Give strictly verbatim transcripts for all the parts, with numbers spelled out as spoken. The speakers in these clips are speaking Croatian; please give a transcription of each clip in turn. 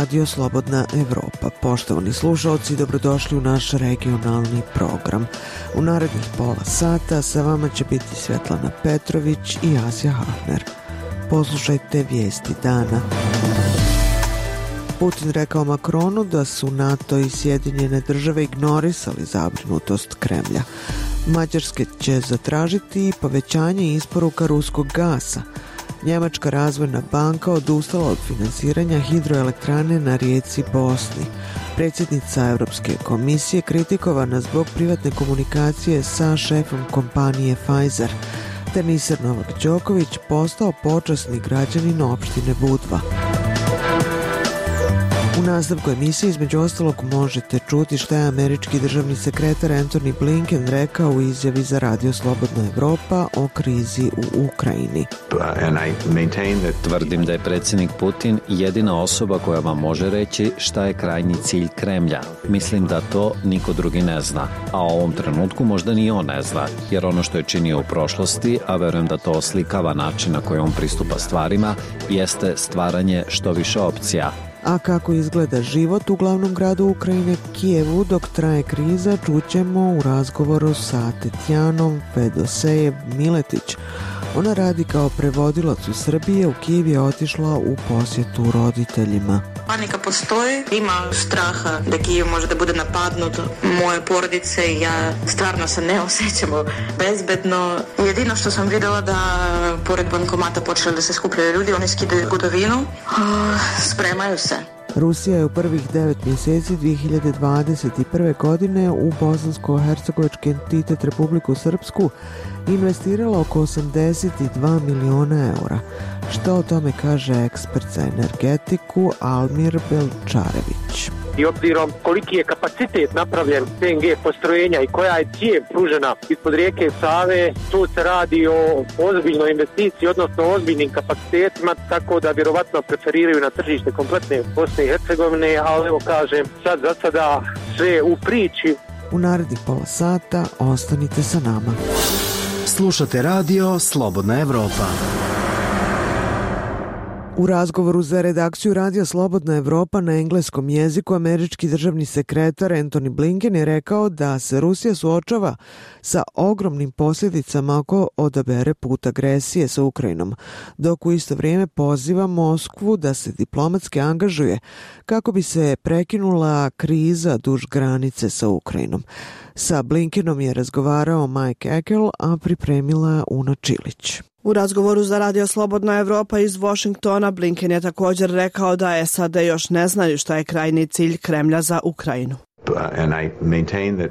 Radio Slobodna Evropa. Poštovani slušalci, dobrodošli u naš regionalni program. U narednih pola sata sa vama će biti Svetlana Petrović i Asja Hafner. Poslušajte vijesti dana. Putin rekao Makronu da su NATO i Sjedinjene države ignorisali zabrinutost Kremlja. Mađarske će zatražiti i povećanje isporuka ruskog gasa. Njemačka razvojna banka odustala od finansiranja hidroelektrane na rijeci Bosni. Predsjednica Europske komisije kritikovana zbog privatne komunikacije sa šefom kompanije Pfizer. Teniser Novak Đoković postao počasni građanin opštine Budva. U nastavku emisije između ostalog možete čuti šta je američki državni sekretar Antony Blinken rekao u izjavi za Radio Slobodna Evropa o krizi u Ukrajini. Tvrdim da je predsjednik Putin jedina osoba koja vam može reći šta je krajnji cilj Kremlja. Mislim da to niko drugi ne zna, a u ovom trenutku možda ni on ne zna, jer ono što je činio u prošlosti, a verujem da to oslikava način na koji on pristupa stvarima, jeste stvaranje što više opcija. A kako izgleda život u glavnom gradu Ukrajine, Kijevu, dok traje kriza, čućemo u razgovoru sa Tetjanom Fedosejev Miletić. Ona radi kao prevodilac u Srbiji, u Kijev je otišla u posjetu roditeljima. Panika postoji, ima straha da Kijev može da bude napadnut, moje porodice i ja stvarno se ne osjećamo bezbedno. Jedino što sam vidjela da pored bankomata počeli da se skupljaju ljudi, oni skidaju gotovinu, spremaju se. Rusija je u prvih devet mjeseci dvije hiljade dvadeset prve. godine u bosansko-hercegovački entitet Republiku Srpsku investirala oko osamdeset dva miliona eura. Što o tome kaže ekspert za energetiku Almir Belčarević. I obzirom koliki je kapacitet napravljen P N G postrojenja i koja je cijev pružena ispod rijeke Save, tu se radi o ozbiljnoj investiciji, odnosno ozbiljnim kapacitetima, tako da vjerovatno preferiraju na tržište kompletne Bosne i Hercegovine, ali evo kažem, sad za sada sve u priči. U narednih pola sata ostanite sa nama. Slušate radio Slobodna Evropa. U razgovoru za redakciju Radija Slobodna Evropa na engleskom jeziku američki državni sekretar Antony Blinken je rekao da se Rusija suočava sa ogromnim posljedicama ako odabere put agresije sa Ukrajinom, dok u isto vrijeme poziva Moskvu da se diplomatski angažuje kako bi se prekinula kriza duž granice sa Ukrajinom. Sa Blinkenom je razgovarao Mike Ekel, a pripremila Una Čilić. U razgovoru za Radio Slobodna Evropa iz Washingtona Blinken je također rekao da S A D još ne znaju šta je krajnji cilj Kremlja za Ukrajinu.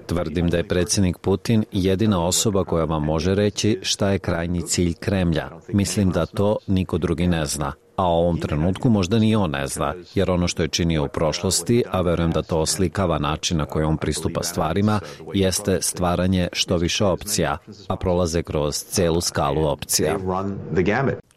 Tvrdim da je predsjednik Putin jedina osoba koja vam može reći šta je krajnji cilj Kremlja. Mislim da to niko drugi ne zna, a u ovom trenutku možda ni on ne zna, jer ono što je činio u prošlosti, a verujem da to oslikava način na koji on pristupa stvarima, jeste stvaranje što više opcija, a prolaze kroz celu skalu opcija.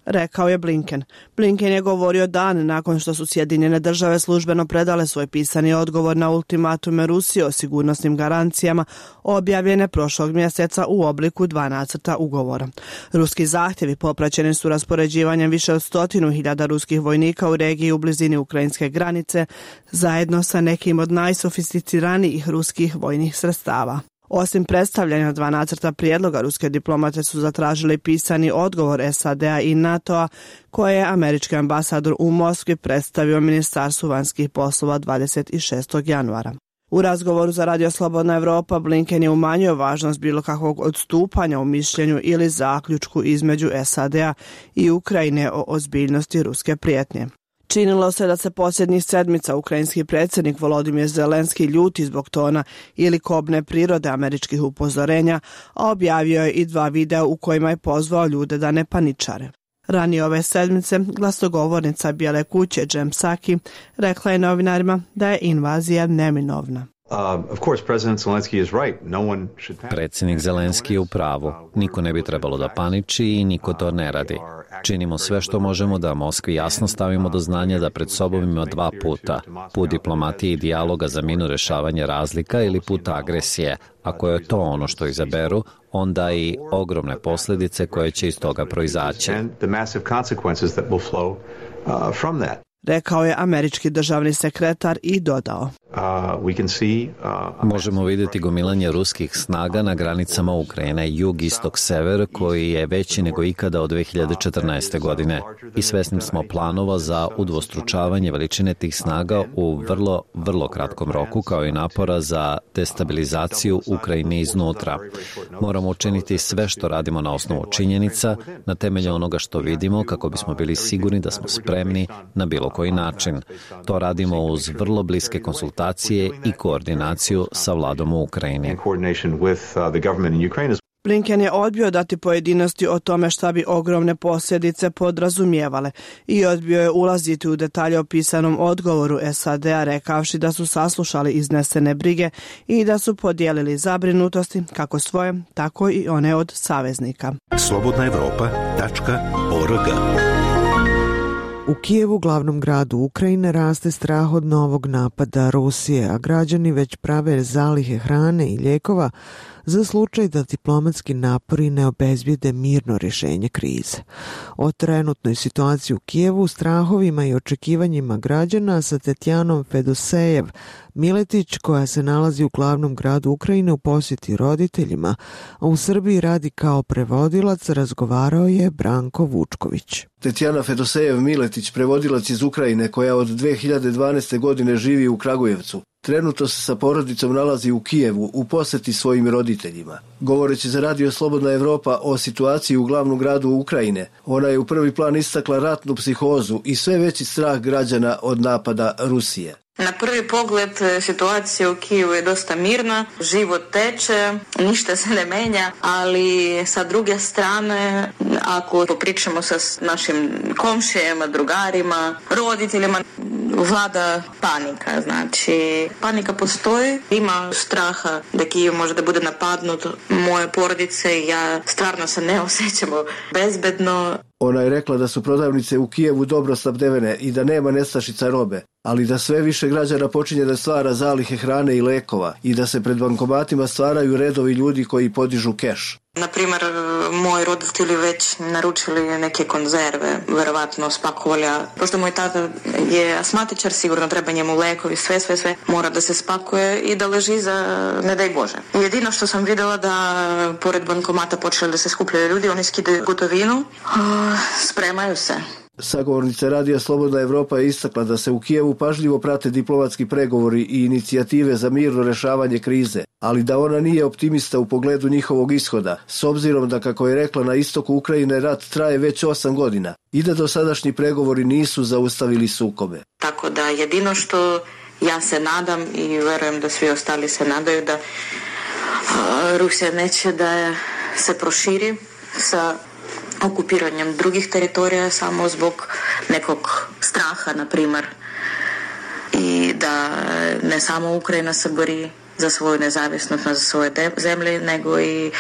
Rekao je Blinken. Blinken je govorio dan nakon što su Sjedinjene države službeno predale svoj pisani odgovor na ultimatume Rusije o sigurnosnim garancijama objavljene prošlog mjeseca u obliku dva nacrta ugovora. Ruski zahtjevi popraćeni su raspoređivanjem više od stotinu hiljada ruskih vojnika u regiji u blizini ukrajinske granice, zajedno sa nekim od najsofisticiranijih ruskih vojnih sredstava. Osim predstavljanja dva nacrta prijedloga, ruske diplomate su zatražili pisani odgovor S A D-a i NATO-a koje je američki ambasador u Moskvi predstavio Ministarstvu vanjskih poslova dvadeset šestog januara. U razgovoru za Radio Slobodna Evropa Blinken je umanjio važnost bilo kakvog odstupanja u mišljenju ili zaključku između S A D-a i Ukrajine o ozbiljnosti ruske prijetnje. Činilo se da se posljednjih sedmica ukrajinski predsjednik Volodimir Zelenski ljuti zbog tona ili kobne prirode američkih upozorenja, a objavio je i dva videa u kojima je pozvao ljude da ne paničare. Ranije ove sedmice glasnogovornica Bijele kuće Jen Psaki rekla je novinarima da je invazija neminovna. Predsjednik Zelenski je u pravu. Niko ne bi trebalo da paniči i niko to ne radi. Činimo sve što možemo da Moskvi jasno stavimo do znanja da pred sobom ima dva puta. Put diplomatije i dijaloga za mirno rješavanje razlika ili put agresije. Ako je to ono što izaberu, onda i ogromne posljedice koje će iz toga proizaći. rekao je američki državni sekretar i dodao. Možemo vidjeti gomilanje ruskih snaga na granicama Ukrajine, jug, istok, sever, koji je veći nego ikada od dve hiljade četrnaeste. godine. I svesni smo planova za udvostručavanje veličine tih snaga u vrlo, vrlo kratkom roku, kao i napora za destabilizaciju Ukrajine iznutra. Moramo učiniti sve što radimo na osnovu činjenica, na temelju onoga što vidimo, kako bismo bili sigurni da smo spremni na bilo koji način. To radimo uz vrlo bliske konsultacije i koordinaciju sa vladom u Ukrajini. Blinken je odbio dati pojedinosti o tome šta bi ogromne posljedice podrazumijevale i odbio je ulaziti u detalje o pisanom odgovoru S A D-a, rekavši da su saslušali iznesene brige i da su podijelili zabrinutosti kako svoje, tako i one od saveznika. slobodna evropa tačka org. U Kijevu, glavnom gradu Ukrajine, raste strah od novog napada Rusije, a građani već prave zalihe hrane i lijekova za slučaj da diplomatski napori ne obezbijede mirno rješenje krize. O trenutnoj situaciji u Kijevu, strahovima i očekivanjima građana sa Tetjanom Fedosejev Miletić, koja se nalazi u glavnom gradu Ukrajine u posjeti roditeljima, a u Srbiji radi kao prevodilac, razgovarao je Branko Vučković. Tetjana Fedosejev Miletić, prevodilac iz Ukrajine koja od dve hiljade dvanaeste. godine živi u Kragujevcu. Trenutno se sa porodicom nalazi u Kijevu u posjeti svojim roditeljima. Govoreći za Radio Slobodna Evropa o situaciji u glavnom gradu Ukrajine, ona je u prvi plan istakla ratnu psihozu i sve veći strah građana od napada Rusije. Na prvi pogled situacija u Kijevu je dosta mirna, život teče, ništa se ne menja, ali sa druge strane, ako popričamo sa našim komšijama, drugarima, roditeljima, vlada panika. Znači, panika postoji, ima straha da Kijev može da bude napadnut, moje porodice i ja stvarno se ne osjećamo bezbedno. Ona je rekla da su prodavnice u Kijevu dobro snabdevene i da nema nestašica robe, ali da sve više građana počinje da stvara zalihe hrane i lekova i da se pred bankomatima stvaraju redovi ljudi koji podižu keš. Naprimjer, moji roditelji već naručili neke konzerve, verovatno spakovali, pošto moj tata je asmatičar, sigurno treba njemu lekovi, sve, sve, sve mora da se spakuje i da leži za ne daj Bože. Jedino što sam vidjela da pored bankomata počeli da se skupljaju ljudi, oni skidaju gotovinu, spremaju se. Sagovornica Radija Slobodna Evropa je istakla da se u Kijevu pažljivo prate diplomatski pregovori i inicijative za mirno rešavanje krize, ali da ona nije optimista u pogledu njihovog ishoda, s obzirom da, kako je rekla, na istoku Ukrajine rat traje već osam godina i da dosadašnji pregovori nisu zaustavili sukobe. Tako da jedino što ja se nadam i verujem da svi ostali se nadaju da Rusija neće da se proširi sa okupiranjem drugih teritorija samo zbog nekog straha, na primjer, i da ne samo Ukrajina se bori za svoju nezavisnost za svoje zemlje, nego i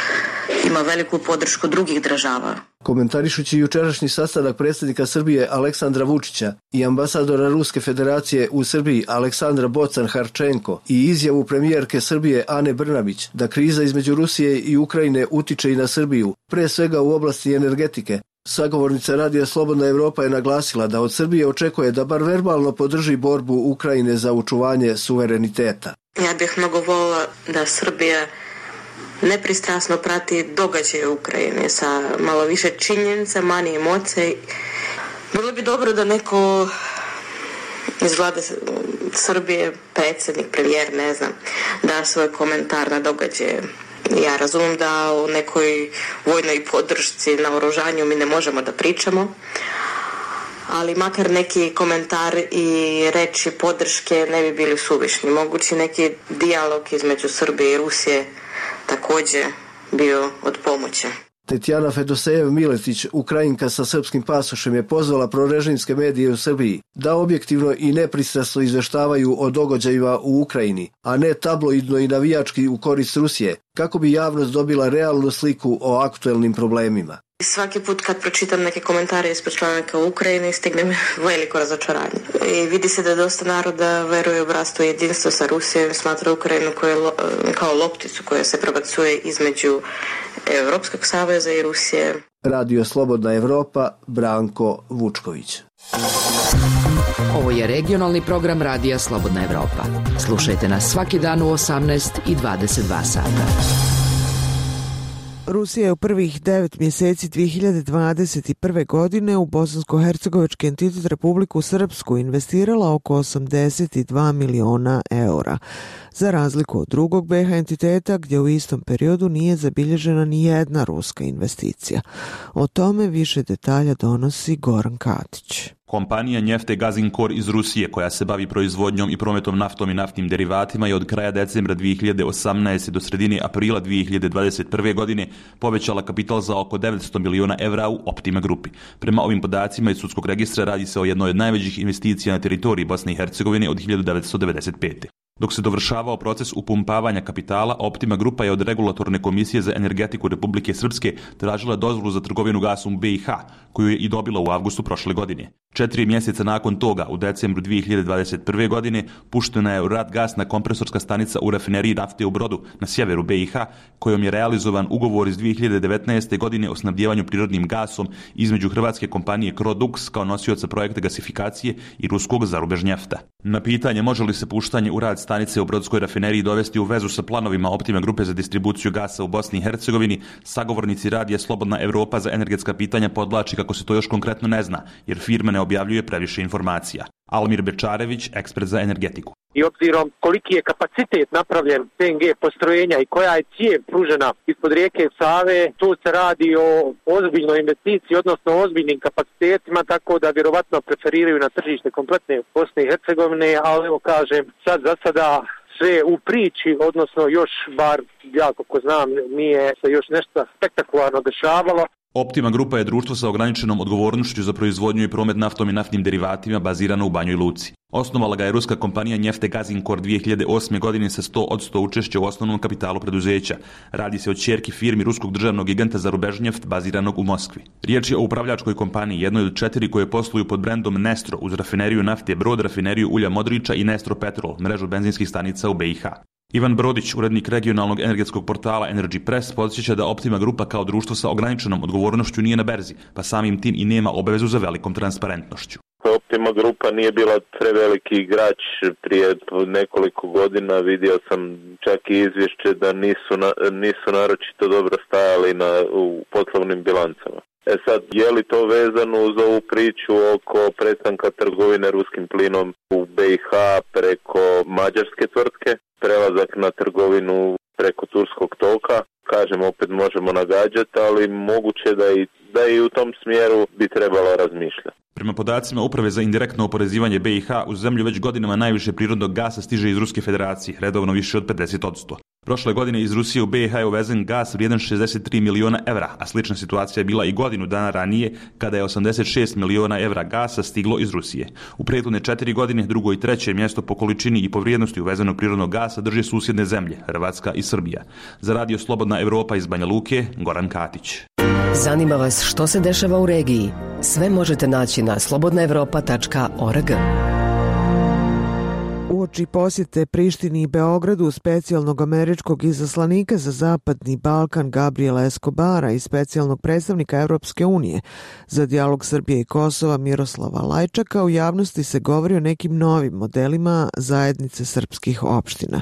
ima veliku podršku drugih država. Komentarišući jučerašnji sastanak predsjednika Srbije Aleksandra Vučića i ambasadora Ruske federacije u Srbiji Aleksandra Bocan-Harčenko i izjavu premijerke Srbije Ane Brnabić da kriza između Rusije i Ukrajine utiče i na Srbiju, pre svega u oblasti energetike, sagovornica Radija Slobodna Evropa je naglasila da od Srbije očekuje da bar verbalno podrži borbu Ukrajine za očuvanje suvereniteta. Ja bih mnogo volila da Srbija nepristrasno prati događaje u Ukrajini sa malo više činjenica, manje emocije. Bilo bi dobro da neko iz vlade Srbije, predsjednik, premijer, ne znam, da svoj komentar na događaje. Ja razumijem da o nekoj vojnoj podršci na oružanju mi ne možemo da pričamo, ali makar neki komentar i reči podrške ne bi bili suvišni. Mogući neki dijalog između Srbije i Rusije također bio od pomoći. Tetjana Fedosejev Miletić, Ukrajinka sa srpskim pasošem, je pozvala prorežimske medije u Srbiji da objektivno i nepristrasno izveštavaju o događajima u Ukrajini, a ne tabloidno i navijački u korist Rusije, kako bi javnost dobila realnu sliku o aktuelnim problemima. Svaki put kad pročitam neke komentare ispod članaka u Ukrajini, stigne mi veliko razočaranje. I vidi se da dosta naroda veruje u bratstvo i jedinstvo sa Rusijom i smatra Ukrajinu koje, kao lopticu koja se prebacuje između Europskog saveza i Rusije. Radio Slobodna Evropa, Branko Vučković. Ovo je regionalni program Radija Slobodna Evropa. Slušajte nas svaki dan u osamnaest i dvadeset dva sata. Rusija je u prvih devet mjeseci dvije hiljade dvadeset prve. godine u Bosansko-hercegovački entitet Republiku Srpsku investirala oko osamdeset dva miliona eura, za razliku od drugog B iH entiteta gdje u istom periodu nije zabilježena ni jedna ruska investicija. O tome više detalja donosi Goran Katić. Kompanija Njefte Gazinkor iz Rusije, koja se bavi proizvodnjom i prometom naftom i naftnim derivatima, je od kraja decembra dvije hiljade osamnaeste. do sredine aprila dvije hiljade dvadeset prve. godine povećala kapital za oko devetsto miliona evra u Optima grupi. Prema ovim podacima iz sudskog registra radi se o jednoj od najvećih investicija na teritoriji Bosne i Hercegovine od hiljadu devetsto devedeset pete. Dok se dovršavao proces upumpavanja kapitala, Optima grupa je od Regulatorne komisije za energetiku Republike Srpske tražila dozvolu za trgovinu gasom u B iH, koju je i dobila u avgustu prošle godine. Četiri mjeseca nakon toga, u decembru dvije hiljade dvadeset prve. godine, puštena je u rad gasna kompresorska stanica u rafineriji nafte u Brodu na sjeveru B iH, kojom je realizovan ugovor iz dvije hiljade devetnaeste. godine o snabdjevanju prirodnim gasom između hrvatske kompanije Crodux kao nosioca projekta gasifikacije i ruskog Zarubežnjefta. Na pitanje može li se puštanje u rad stanice u Brodskoj rafineriji dovesti u vezu sa planovima Optima grupe za distribuciju gasa u Bosni i Hercegovini, sagovornici Radija Slobodna Evropa za energetska pitanja podvlači kako se to još konkretno ne zna, jer firma ne objavljuje previše informacija. Almir Bečarević, ekspert za energetiku. I obzirom koliki je kapacitet napravljen T N G postrojenja i koja je cijev pružena ispod rijeke Save, tu se radi o ozbiljnoj investiciji, odnosno ozbiljnim kapacitetima, tako da vjerovatno preferiraju na tržište kompletne Bosne i Hercegovine, ali evo kažem, sad za sada sve u priči, odnosno još bar ja kako znam nije se još nešto spektakularno dešavalo. Optima grupa je društvo sa ograničenom odgovornošću za proizvodnju i promet naftom i naftnim derivatima bazirano u Banjoj Luci. Osnovala ga je ruska kompanija Njefte Gazinkor dvije hiljade osme. godine sa sto posto učešća u osnovnom kapitalu preduzeća. Radi se o ćerki firmi ruskog državnog giganta Zarubežnjeft baziranog u Moskvi. Riječ je o upravljačkoj kompaniji, jednoj od četiri koje posluju pod brendom Nestro uz rafineriju nafte Brod, rafineriju ulja Modrića i Nestro Petrol, mrežu benzinskih stanica u B iH. Ivan Brodić, urednik regionalnog energetskog portala Energy Press, podsjeća da Optima grupa kao društvo sa ograničenom odgovornošću nije na berzi, pa samim tim i nema obavezu za velikom transparentnošću. Optima grupa nije bila preveliki igrač prije nekoliko godina, vidio sam čak i izvješće da nisu, na, nisu naročito dobro stajali na, u poslovnim bilancama. E sad, je li to vezano uz ovu priču oko prestanka trgovine ruskim plinom u B iH preko mađarske tvrtke, prelazak na trgovinu preko turskog toka? Kažem, opet možemo nagađati, ali moguće da i, da i u tom smjeru bi trebalo razmišljati. Prema podacima Uprave za indirektno oporezivanje B iH, u zemlju već godinama najviše prirodnog gasa stiže iz Ruske federacije, redovno više od pedeset posto. Prošle godine iz Rusije u B iH je uvezen gas vrijedan šezdeset tri miliona evra, a slična situacija je bila i godinu dana ranije kada je osamdeset šest miliona evra gasa stiglo iz Rusije. U prethodne četiri godine drugo i treće mjesto po količini i po vrijednosti uvezenog prirodnog gasa drže susjedne zemlje, Hrvatska i Srbija. Za Radio Slobodna Evropa iz Banja Luke, Goran Katić. Zanima vas što se dešava u regiji? Sve možete naći na slobodna evropa tačka org. Uoči posjete Prištini i Beogradu specijalnog američkog izaslanika za Zapadni Balkan Gabriela Escobara i specijalnog predstavnika Europske unije za dijalog Srbije i Kosova Miroslava Lajčaka, u javnosti se govori o nekim novim modelima zajednice srpskih opština.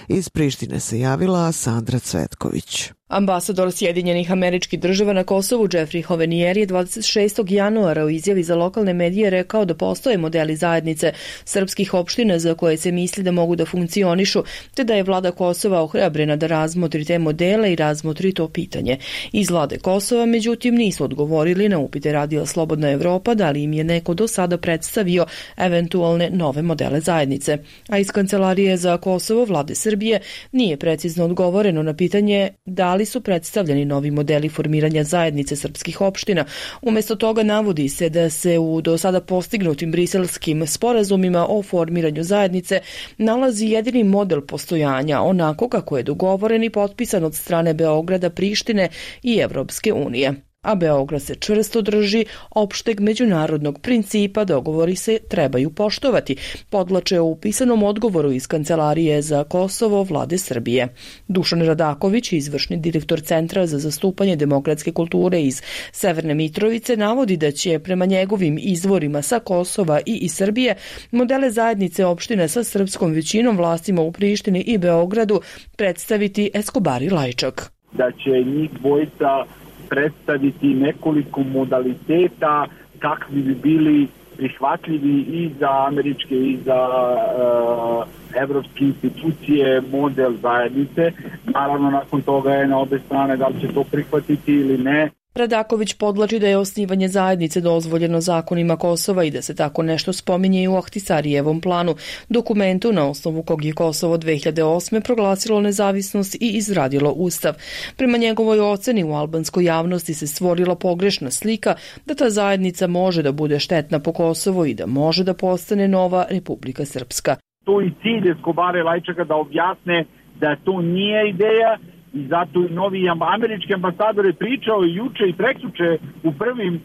Iz Prištine se javila Sandra Cvetković. Ambasador Sjedinjenih Američkih Država na Kosovu Jeffrey Hovenier je dvadeset šestog januara u izjavi za lokalne medije rekao da postoje modeli zajednice srpskih opština za koje se misli da mogu da funkcionišu, te da je vlada Kosova ohrabrena da razmotri te modele i razmotri to pitanje. Iz vlade Kosova, međutim, nisu odgovorili na upite Radija Slobodna Evropa da li im je neko do sada predstavio eventualne nove modele zajednice. A iz Kancelarije za Kosovo vlade Srbije nije precizno odgovoreno na pitanje da li su predstavljeni novi modeli formiranja zajednice srpskih opština. Umjesto toga navodi se da se u do sada postignutim briselskim sporazumima o formiranju zajednice nalazi jedini model postojanja, onako kako je dogovoren i potpisan od strane Beograda, Prištine i Evropske unije. a Beograd se čvrsto drži opšteg međunarodnog principa, dogovori se trebaju poštovati, podlače u pisanom odgovoru iz Kancelarije za Kosovo vlade Srbije. Dušan Radaković, izvršni direktor Centra za zastupanje demokratske kulture iz Severne Mitrovice, navodi da će prema njegovim izvorima sa Kosova i iz Srbije modele zajednice opštine sa srpskom većinom, vlastima u Prištini i Beogradu predstaviti Escobar i Lajčak. Da će njih dvojica predstaviti nekoliko modaliteta kakvi bi bili prihvatljivi i za američke i za uh, evropske institucije model zajednice. Naravno, nakon toga je na obe strane da li će to prihvatiti ili ne. Radaković podlači da je osnivanje zajednice dozvoljeno zakonima Kosova i da se tako nešto spominje i u Ahtisarijevom planu, dokumentu na osnovu kog je Kosovo dve hiljade osme proglasilo nezavisnost i izradilo ustav. Prema njegovoj oceni u albanskoj javnosti se stvorila pogrešna slika da ta zajednica može da bude štetna po Kosovo i da može da postane nova Republika Srpska. To je cilj Escobara i Lajčaka da objasne da to nije ideja, i zato i novi američki ambasador je pričao i juče i prekjuče u prvim uh,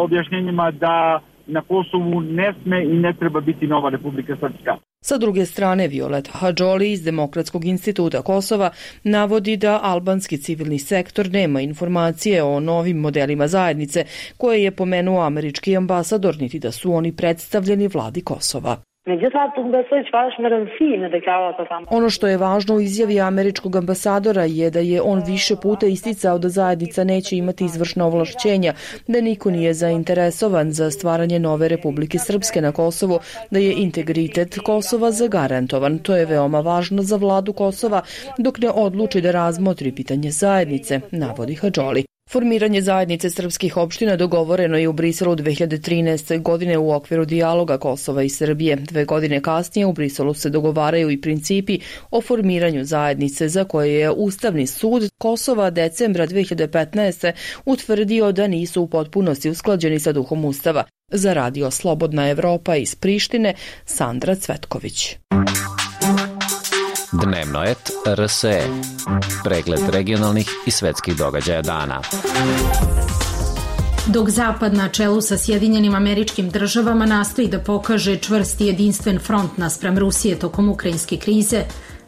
objašnjenjima da na Kosovu ne sme i ne treba biti nova Republika Srpska. Sa druge strane, Violeta Hadžoli iz Demokratskog instituta Kosova navodi da albanski civilni sektor nema informacije o novim modelima zajednice koje je pomenuo američki ambasador, niti da su oni predstavljeni vladi Kosova. Ono što je važno u izjavi američkog ambasadora je da je on više puta isticao da zajednica neće imati izvršna ovlašćenja, da niko nije zainteresovan za stvaranje nove Republike Srpske na Kosovu, da je integritet Kosova zagarantovan. To je veoma važno za vladu Kosova dok ne odluči da razmotri pitanje zajednice, navodi Hadžoli. Formiranje zajednice srpskih opština dogovoreno je u Briselu dve hiljade trinaeste. godine u okviru dijaloga Kosova i Srbije. Dve godine kasnije u Briselu se dogovaraju i principi o formiranju zajednice za koje je Ustavni sud Kosova decembra dve hiljade petnaeste. utvrdio da nisu u potpunosti usklađeni sa duhom Ustava. Za Radio Slobodna Evropa iz Prištine, Sandra Cvetković. Dnevnoet R S E. Pregled regionalnih i svetskih događaja dana. Dok Zapad na čelu sa Sjedinjenim Američkim Državama nastoji da pokaže čvrst i jedinstven front naspram Rusije tokom ukrajinske krize,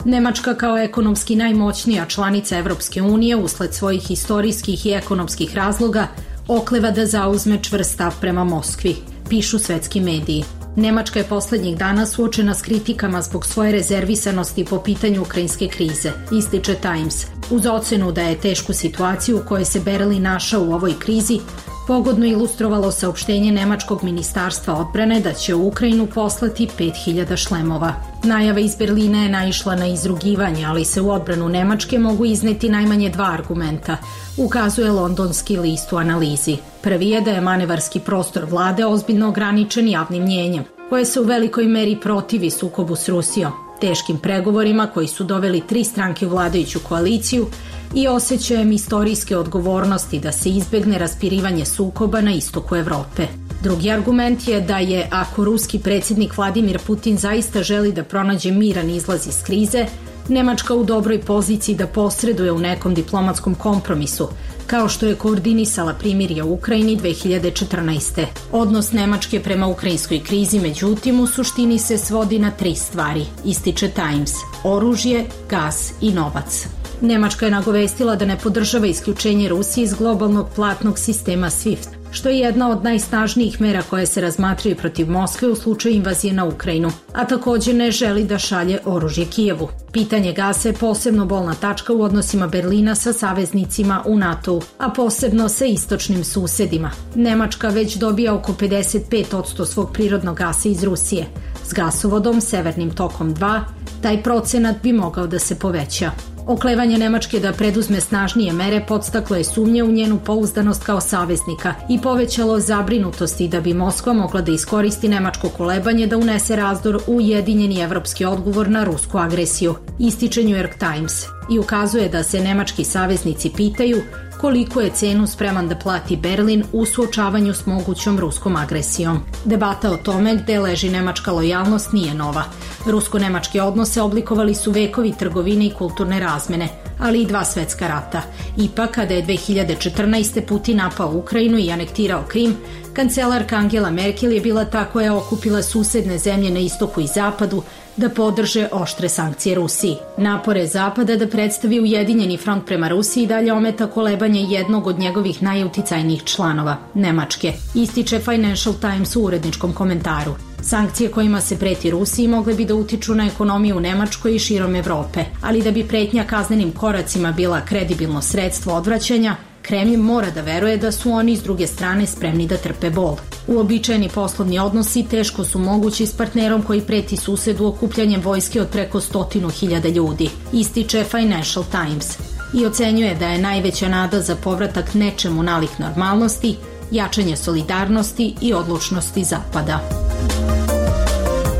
Nemačka kao ekonomski najmoćnija članica Evropske unije usled svojih istorijskih i ekonomskih razloga okleva da zauzme čvrst stav prema Moskvi, pišu svetski mediji. Nemačka je poslednjih dana suočena s kritikama zbog svoje rezervisanosti po pitanju ukrajinske krize, ističe Times. Uz ocenu da je tešku situaciju u kojoj se Berlin našao u ovoj krizi, pogodno ilustrovalo saopštenje Nemačkog ministarstva odbrane da će u Ukrajinu poslati pet hiljada šlemova. Najava iz Berlina je naišla na izrugivanje, ali se u odbranu Nemačke mogu izneti najmanje dva argumenta, ukazuje londonski list u analizi. Prvi je da je manevarski prostor vlade ozbiljno ograničen javnim mnjenjem, koje se u velikoj meri protivi sukobu s Rusijom, teškim pregovorima koji su doveli tri stranke u vladajuću koaliciju i osjećajem istorijske odgovornosti da se izbegne raspirivanje sukoba na istoku Evrope. Drugi argument je da je, ako ruski predsjednik Vladimir Putin zaista želi da pronađe miran izlaz iz krize, Nemačka u dobroj poziciji da posreduje u nekom diplomatskom kompromisu, kao što je koordinisala primirje u Ukrajini dve hiljade četrnaeste. Odnos Nemačke prema ukrajinskoj krizi, međutim, u suštini se svodi na tri stvari, ističe Times: oružje, gas i novac. Nemačka je nagovestila da ne podržava isključenje Rusije iz globalnog platnog sistema SWIFT, što je jedna od najsnažnijih mera koje se razmatraju protiv Moskve u slučaju invazije na Ukrajinu, a također ne želi da šalje oružje Kijevu. Pitanje gasa je posebno bolna tačka u odnosima Berlina sa saveznicima u NATO-u, a posebno sa istočnim susedima. Nemačka već dobija oko pedeset pet posto svog prirodnog gasa iz Rusije. S gasovodom Severnim tokom dva taj procenat bi mogao da se poveća. Oklevanje Nemačke da preduzme snažnije mere podstaklo je sumnje u njenu pouzdanost kao saveznika i povećalo zabrinutosti da bi Moskva mogla da iskoristi nemačko kolebanje da unese razdor u ujedinjeni evropski odgovor na rusku agresiju, ističe New York Times, i ukazuje da se nemački saveznici pitaju koliko je cenu spreman da plati Berlin u suočavanju s mogućom ruskom agresijom. Debata o tome gde leži nemačka lojalnost nije nova. Rusko-nemačke odnose oblikovali su vekovi trgovine i kulturne razmene, ali i dva svetska rata. Ipak, kada je dve hiljade četrnaeste. Putin napao Ukrajinu i anektirao Krim, kancelarka Angela Merkel je bila ta koja je okupila susedne zemlje na istoku i zapadu da podrže oštre sankcije Rusiji. Napore Zapada da predstavi ujedinjeni front prema Rusiji dalje ometa kolebanje jednog od njegovih najuticajnijih članova, Nemačke, ističe Financial Times u uredničkom komentaru. Sankcije kojima se preti Rusiji mogle bi da utiču na ekonomiju u Nemačkoj i širom Evrope, ali da bi pretnja kaznenim koracima bila kredibilno sredstvo odvraćanja, Kremlj mora da veruje da su oni s druge strane spremni da trpe bol. Uobičajeni poslovni odnosi teško su mogući s partnerom koji preti susedu okupljanjem vojske od preko stotinu hiljada ljudi, ističe Financial Times, i ocenjuje da je najveća nada za povratak nečemu nalik normalnosti, jačanje solidarnosti i odlučnosti Zapada.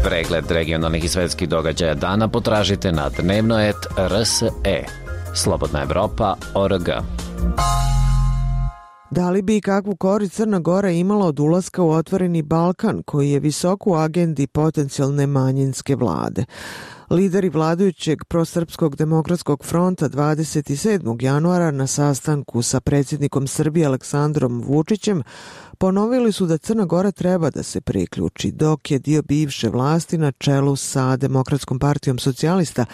Pregled regionalnih i svetskih događaja dana potražite na dnevnoet R S E. Slobodna Evropa точка о р г. Da li bi i kakvu korist Crna Gora imala od ulaska u Otvoreni Balkan, koji je visoko u agendi potencijalne manjinske vlade? Lideri vladajućeg prosrpskog demokratskog fronta dvadeset sedmog januara na sastanku sa predsjednikom Srbije Aleksandrom Vučićem ponovili su da Crna Gora treba da se priključi, dok je dio bivše vlasti na čelu sa Demokratskom partijom socijalista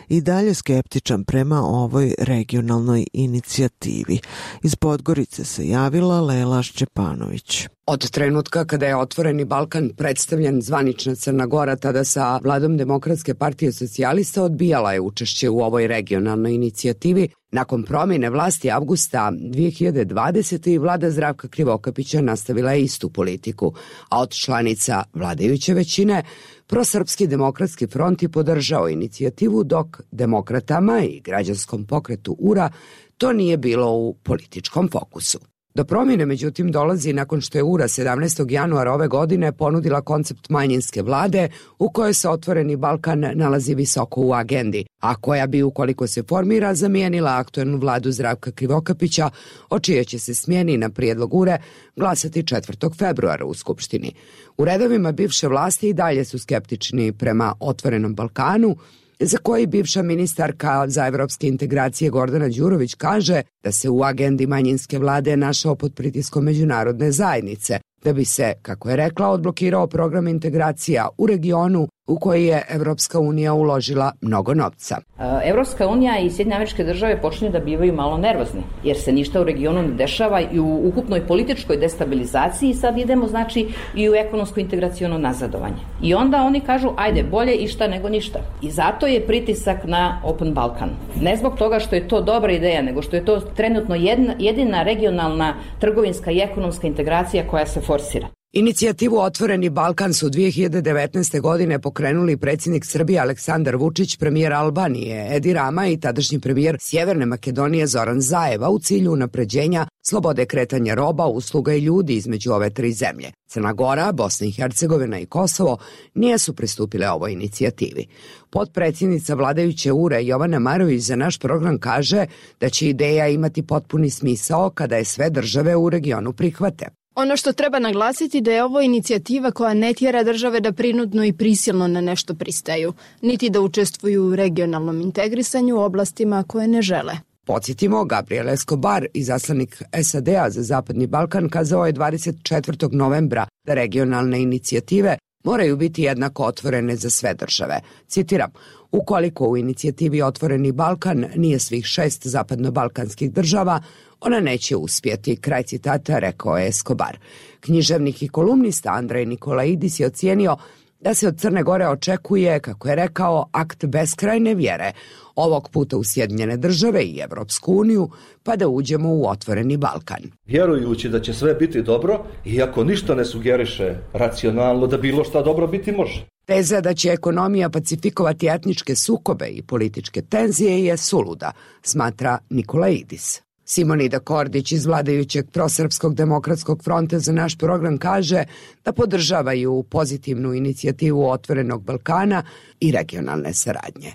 i dalje skeptičan prema ovoj regionalnoj inicijativi. Iz Podgorice se javila Lela Šćepanović. Od trenutka kada je Otvoreni Balkan predstavljen, zvanična Crna Gora, tada sa vladom Demokratske partije socijalista, odbijala je učešće u ovoj regionalnoj inicijativi. Nakon promjene vlasti avgusta dve hiljade dvadesete. vlada Zdravka Krivokapića nastavila je istu politiku, a od članica vladajuće većine Prosrpski demokratski front je podržao inicijativu, dok demokratama i građanskom pokretu U R A to nije bilo u političkom fokusu. Do promjene, međutim, dolazi nakon što je U R A sedamnaestog januara ove godine ponudila koncept manjinske vlade u kojoj se Otvoreni Balkan nalazi visoko u agendi, a koja bi, ukoliko se formira, zamijenila aktuelnu vladu Zdravka Krivokapića, o čije će se smjeni na prijedlog U R A glasati četvrtog februara u Skupštini. U redovima bivše vlasti i dalje su skeptični prema Otvorenom Balkanu, za koji bivša ministarka za evropske integracije Gordana Đurović kaže da se u agendi manjinske vlade našao pod pritiskom međunarodne zajednice, da bi se, kako je rekla, odblokirao program integracija u regionu u koji je Evropska unija uložila mnogo novca. Evropska unija i Sjedinjene Američke Države počinju da bivaju malo nervozni, jer se ništa u regionu ne dešava i u ukupnoj političkoj destabilizaciji sad idemo, znači, i u ekonomsko integraciono nazadovanje. I onda oni kažu, ajde, bolje išta nego ništa. I zato je pritisak na Open Balkan. Ne zbog toga što je to dobra ideja, nego što je to trenutno jedna, jedina regionalna trgovinska i ekonomska integracija koja se forsira. Inicijativu Otvoreni Balkan su dve hiljade devetnaeste. godine pokrenuli predsjednik Srbije Aleksandar Vučić, premijer Albanije Edi Rama i tadašnji premijer Sjeverne Makedonije Zoran Zaeva u cilju unapređenja slobode kretanja roba, usluga i ljudi između ove tri zemlje. Crna Gora, Bosna i Hercegovina i Kosovo nisu pristupile ovoj inicijativi. Potpredsjednica vladajuće U R A Jovana Marović za naš program kaže da će ideja imati potpuni smisao kada je sve države u regionu prihvate. Ono što treba naglasiti da je ovo inicijativa koja ne tjera države da prinudno i prisilno na nešto pristaju, niti da učestvuju u regionalnom integrisanju u oblastima koje ne žele. Podsjetimo, Gabriel Escobar, izaslanik S A D-a za Zapadni Balkan, kazao je dvadeset četvrtog novembra da regionalne inicijative moraju biti jednako otvorene za sve države. Citiram, ukoliko u inicijativi Otvoreni Balkan nije svih šest zapadno-balkanskih država, ona neće uspjeti, kraj citata, rekao je Escobar. Književnik i kolumnista Andrej Nikolaidis je ocijenio da se od Crne Gore očekuje, kako je rekao, akt beskrajne vjere, ovog puta u Sjedinjene države i Evropsku uniju, pa da uđemo u Otvoreni Balkan. Vjerujući da će sve biti dobro, iako ništa ne sugeriše racionalno da bilo šta dobro biti može. Teza da će ekonomija pacifikovati etničke sukobe i političke tenzije je suluda, smatra Nikolaidis. Simonida Kordić iz vladajućeg Prosrpskog demokratskog fronta za naš program kaže da podržavaju pozitivnu inicijativu Otvorenog Balkana i regionalne saradnje.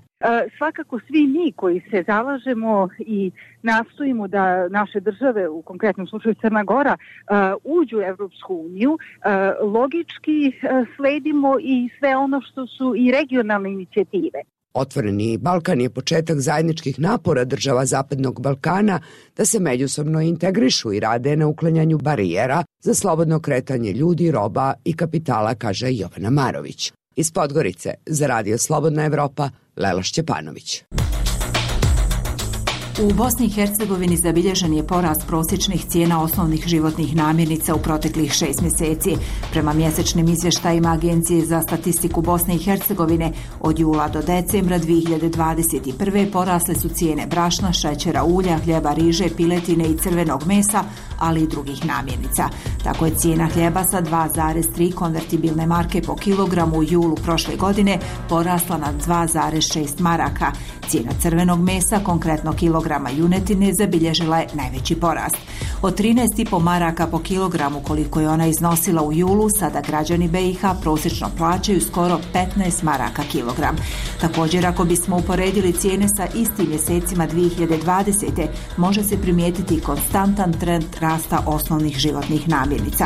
Svakako svi mi koji se zalažemo i nastojimo da naše države, u konkretnom slučaju Crna Gora, uđu u Evropsku uniju, logički sledimo i sve ono što su i regionalne inicijative. Otvoreni Balkan je početak zajedničkih napora država Zapadnog Balkana da se međusobno integrišu i rade na uklanjanju barijera za slobodno kretanje ljudi, roba i kapitala, kaže Jovana Marović. Iz Podgorice za Radio Slobodna Evropa, Lela Šćepanović. U Bosni i Hercegovini zabilježen je porast prosječnih cijena osnovnih životnih namirnica u proteklih šest mjeseci. Prema mjesečnim izvještajima Agencije za statistiku Bosne i Hercegovine, od jula do decembra dvije hiljade dvadeset prve. porasle su cijene brašna, šećera, ulja, hljeba, riže, piletine i crvenog mesa, ali i drugih namirnica. Tako je cijena hljeba sa dva zarez tri konvertibilne marke po kilogramu u julu prošle godine porasla na dva zarez šest maraka. Cijena crvenog mesa, konkretno kilograma junetine, zabilježila je najveći porast. Od trinaest zarez pet maraka po kilogramu koliko je ona iznosila u julu, sada građani B i H prosječno plaćaju skoro petnaest maraka kilogram. Također, ako bismo uporedili cijene sa istim mjesecima dvije hiljade dvadesete. može se primijetiti konstantan trend rasta osnovnih životnih namirnica.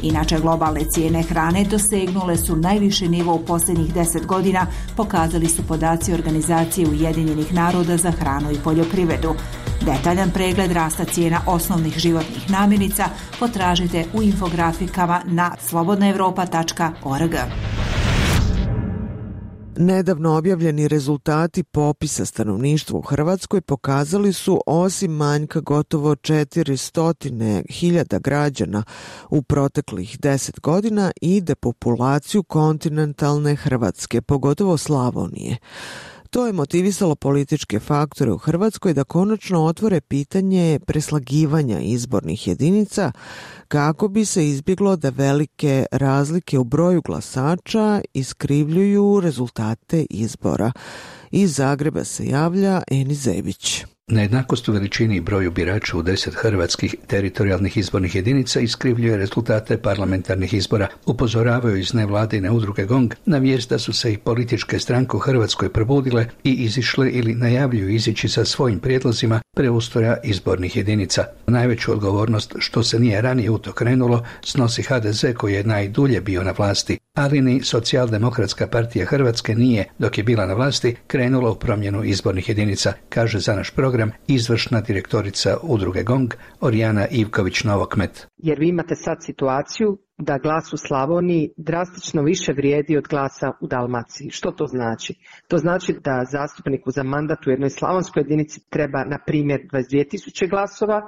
Inače, globalne cijene hrane dosegnule su najviši nivo u posljednjih deset godina, pokazali su podaci Organizacije Ujedinjenih naroda za hranu i poljoprivredu. Detaljan pregled rasta cijena osnovnih životnih namirnica potražite u infografikama na slobodna evropa tačka org. Nedavno objavljeni rezultati popisa stanovništva u Hrvatskoj pokazali su, osim manjka gotovo četiristo hiljada građana u proteklih deset godina, i depopulaciju kontinentalne Hrvatske, pogotovo Slavonije. To je motivisalo političke faktore u Hrvatskoj da konačno otvore pitanje preslagivanja izbornih jedinica kako bi se izbjeglo da velike razlike u broju glasača iskrivljuju rezultate izbora. Iz Zagreba se javlja Eni Zebić. Nejednakost u veličini i broju birača u deset hrvatskih teritorijalnih izbornih jedinica iskrivljuje rezultate parlamentarnih izbora, upozoravaju iz nevladine udruge GONG na vijest da su se i političke stranke u Hrvatskoj probudile i izišle ili najavljuju izići sa svojim prijedlozima preustroja izbornih jedinica. Najveću odgovornost što se nije ranije u to krenulo snosi H D Z koji je najdulje bio na vlasti, ali ni Socijaldemokratska partija Hrvatske nije, dok je bila na vlasti, krenula u promjenu izbornih jedinica, kaže za naš program izvršna direktorica udruge GONG Orijana Ivković-Novokmet. Jer vi imate sad situaciju da glas u Slavoniji drastično više vrijedi od glasa u Dalmaciji. Što to znači? To znači da zastupniku za mandat u jednoj slavonskoj jedinici treba, na primjer, dvadeset dvije tisuće glasova,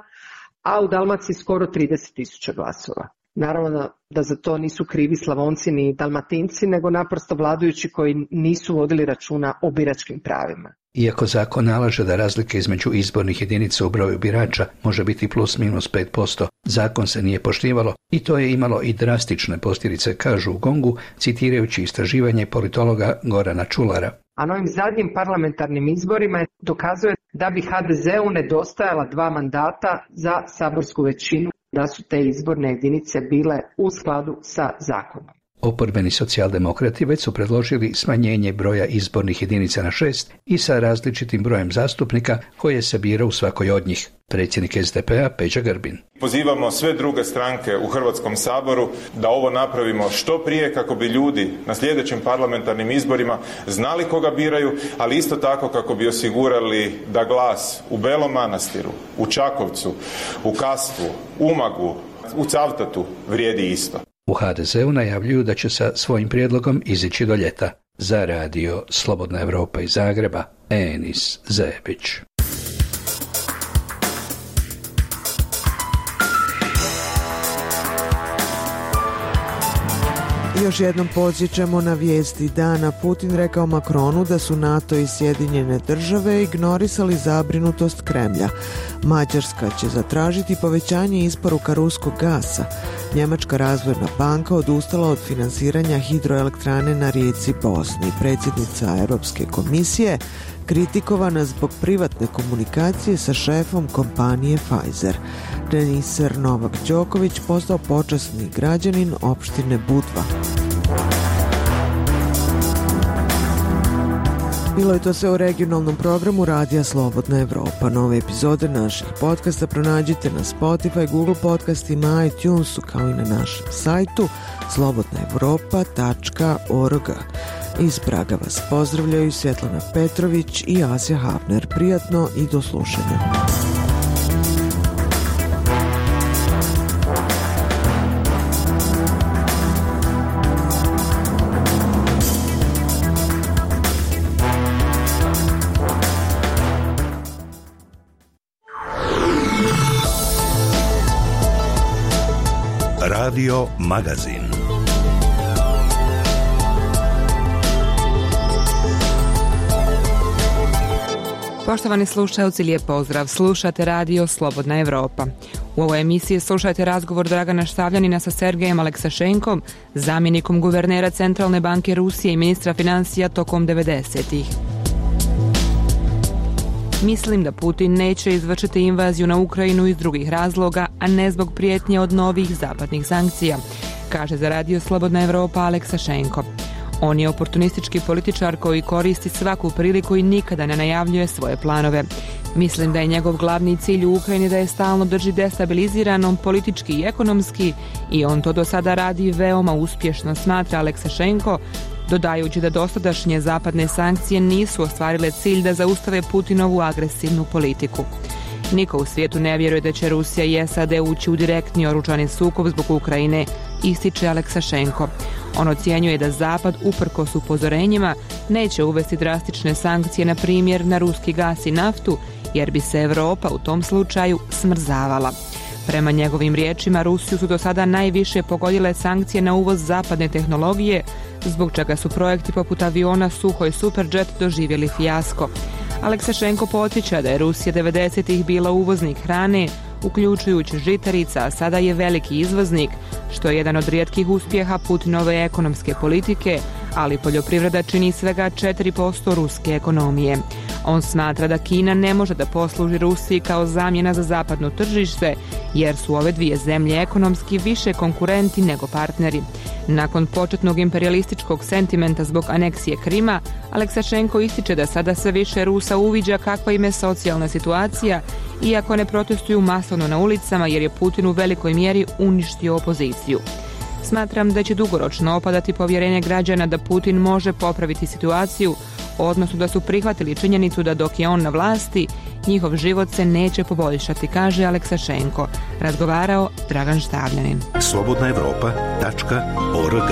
a u Dalmaciji skoro trideset tisuća glasova. Naravno da za to nisu krivi Slavonci ni Dalmatinci, nego naprosto vladajući koji nisu vodili računa o biračkim pravima. Iako zakon nalaže da razlike između izbornih jedinica u broju birača može biti plus minus pet posto, zakon se nije poštivalo i to je imalo i drastične posljedice, kažu u GONG-u, citirajući istraživanje politologa Gorana Čulara. A na ovim zadnjim parlamentarnim izborima dokazuje da bi H D Z-u nedostajala dva mandata za saborsku većinu, da su te izborne jedinice bile u skladu sa zakonom. Oporbeni socijaldemokrati već su predložili smanjenje broja izbornih jedinica na šest i sa različitim brojem zastupnika koje se bira u svakoj od njih. Predsjednik S D P-a Peđa Grbin. Pozivamo sve druge stranke u Hrvatskom saboru da ovo napravimo što prije kako bi ljudi na sljedećim parlamentarnim izborima znali koga biraju, ali isto tako kako bi osigurali da glas u Belom Manastiru, u Čakovcu, u Kastvu, Umagu, u Cavtatu vrijedi isto. U H D Z-u najavljuju da će sa svojim prijedlogom izići do ljeta. Za radio Slobodna Evropa iz Zagreba, Enis Zebić. Još jednom podsjećamo na vijesti dana. Putin rekao Macronu da su NATO i Sjedinjene države ignorisali zabrinutost Kremlja. Mađarska će zatražiti povećanje isporuka ruskog gasa. Njemačka razvojna banka odustala od finansiranja hidroelektrane na rijeci Bosni. Predsjednica Europske komisije kritikovana zbog privatne komunikacije sa šefom kompanije Pfizer. Teniser Novak Đoković postao počasni građanin opštine Budva. Bilo je to sve u regionalnom programu Radija Slobodna Evropa. Nove epizode naših podcasta pronađite na Spotify, Google podcastima, iTunesu, kao i na našem sajtu slobodna evropa tačka org. Iz Praga vas pozdravljaju Svjetlana Petrović i Asja Hafner. Prijatno i do slušanja. Radio Magazin. Poštovani slušalci, lijep pozdrav. Slušate Radio Slobodna Evropa. U ovoj emisiji slušajte razgovor Dragana Štavljanina sa Sergejem Aleksašenkom, zamjenikom guvernera Centralne banke Rusije i ministra financija tokom devedesetih. Mislim da Putin neće izvršiti invaziju na Ukrajinu iz drugih razloga, a ne zbog prijetnje od novih zapadnih sankcija, kaže za Radio Slobodna Evropa Aleksašenko. On je oportunistički političar koji koristi svaku priliku i nikada ne najavljuje svoje planove. Mislim da je njegov glavni cilj u Ukrajini da je stalno drži destabiliziranom politički i ekonomski i on to do sada radi veoma uspješno, smatra Aleksašenko, dodajući da dosadašnje zapadne sankcije nisu ostvarile cilj da zaustave Putinovu agresivnu politiku. Niko u svijetu ne vjeruje da će Rusija i S A D ući u direktni oružani sukob zbog Ukrajine, ističe Aleksašenko. On ocjenjuje da Zapad, uprkos upozorenjima, neće uvesti drastične sankcije, na primjer na ruski gas i naftu, jer bi se Europa u tom slučaju smrzavala. Prema njegovim riječima, Rusiju su do sada najviše pogodile sankcije na uvoz zapadne tehnologije, zbog čega su projekti poput aviona Suhoj Superjet doživjeli fijasko. Aleksašenko podsjeća da je Rusija devedesetih bila uvoznik hrane, uključujući žitarica, a sada je veliki izvoznik, što je jedan od rijetkih uspjeha Putinove ekonomske politike, ali poljoprivreda čini svega četiri posto ruske ekonomije. On smatra da Kina ne može da posluži Rusiji kao zamjena za zapadno tržište, jer su ove dvije zemlje ekonomski više konkurenti nego partneri. Nakon početnog imperialističkog sentimenta zbog aneksije Krima, Aleksašenko ističe da sada sve više Rusa uviđa kakva im je socijalna situacija, iako ne protestuju masovno na ulicama jer je Putin u velikoj mjeri uništio opoziciju. Smatram da će dugoročno opadati povjerenje građana da Putin može popraviti situaciju, odnosno da su prihvatili činjenicu da dok je on na vlasti, njihov život se neće poboljšati, kaže Aleksašenko. Razgovarao Dragan Štavljanin. slobodna evropa tačka org.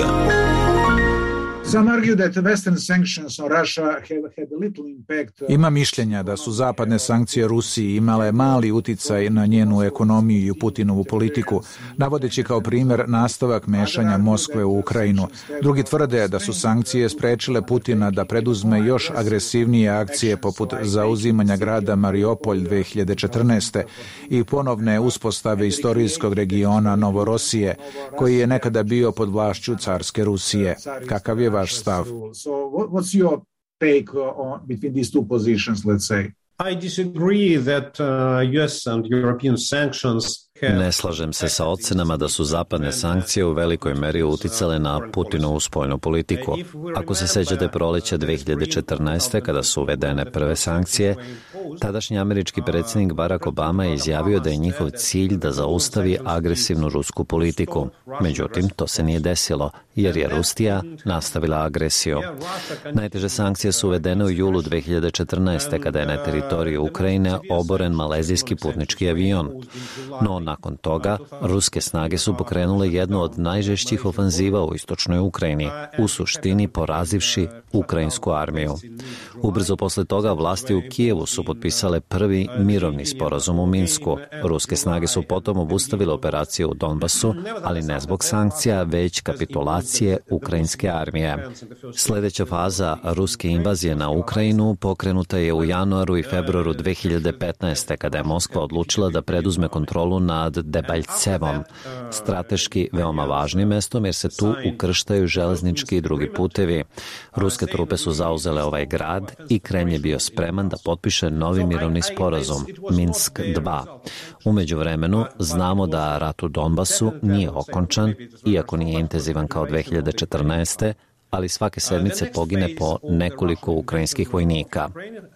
Ima mišljenja da su zapadne sankcije Rusiji imale mali uticaj na njenu ekonomiju i Putinovu politiku, navodeći kao primjer nastavak mešanja Moskve u Ukrajinu. Drugi tvrde da su sankcije sprečile Putina da preduzme još agresivnije akcije poput zauzimanja grada Mariupolj dve hiljade četrnaeste. i ponovne uspostave istorijskog regiona Novorosije, koji je nekada bio pod vlašću carske Rusije. Kakav je vaš stav? So what's your take on between these two positions, let's say? I disagree that uh, U S and European sanctions. Ne slažem se sa ocenama da su zapadne sankcije u velikoj meri uticale na Putinovu spoljnu politiku. Ako se sećate proleća dve hiljade četrnaeste. kada su uvedene prve sankcije, tadašnji američki predsjednik Barack Obama je izjavio da je njihov cilj da zaustavi agresivnu rusku politiku. Međutim, to se nije desilo, jer je Rusija nastavila agresiju. Najteže sankcije su uvedene u julu dve hiljade četrnaeste. kada je na teritoriju Ukrajine oboren malezijski putnički avion. No, nakon toga, ruske snage su pokrenule jednu od najžešćih ofanziva u istočnoj Ukrajini, u suštini porazivši ukrajinsku armiju. Ubrzo posle toga vlasti u Kijevu su potpisale prvi mirovni sporazum u Minsku. Ruske snage su potom obustavile operacije u Donbasu, ali ne zbog sankcija, već kapitulacije ukrajinske armije. Sljedeća faza ruske invazije na Ukrajinu pokrenuta je u januaru i februaru dve hiljade petnaeste. kada je Moskva odlučila da preduzme kontrolu nad Debaljevom, strateški veoma važnim mestom jer se tu ukrštaju železnički i drugi putevi. Ruske trupe su zauzele ovaj grad i Kremlj je bio spreman da potpiše novi mirovni sporazum, Minsk dva. U međuvremenu znamo da rat u Donbasu nije okončan, iako nije intenzivan kao dve hiljade četrnaeste. ali svake sedmice pogine po nekoliko ukrajinskih vojnika.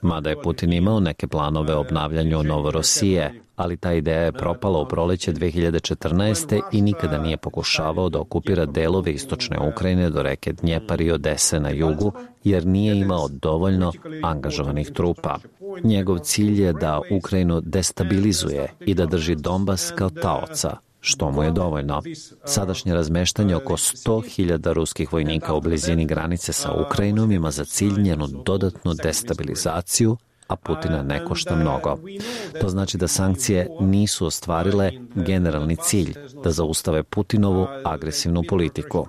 Mada je Putin imao neke planove o obnavljanju Novorosije, ali ta ideja je propala u proleće dve hiljade četrnaeste. i nikada nije pokušavao da okupira delove istočne Ukrajine do reke Dnjepar i Odese na jugu, jer nije imao dovoljno angažovanih trupa. Njegov cilj je da Ukrajinu destabilizuje i da drži Donbas kao taoca, što mu je dovoljno. Sadašnje razmeštanje oko sto hiljada ruskih vojnika u blizini granice sa Ukrajinom ima za cilj njenu dodatnu destabilizaciju, a Putina ne košta mnogo. To znači da sankcije nisu ostvarile generalni cilj, da zaustave Putinovu agresivnu politiku.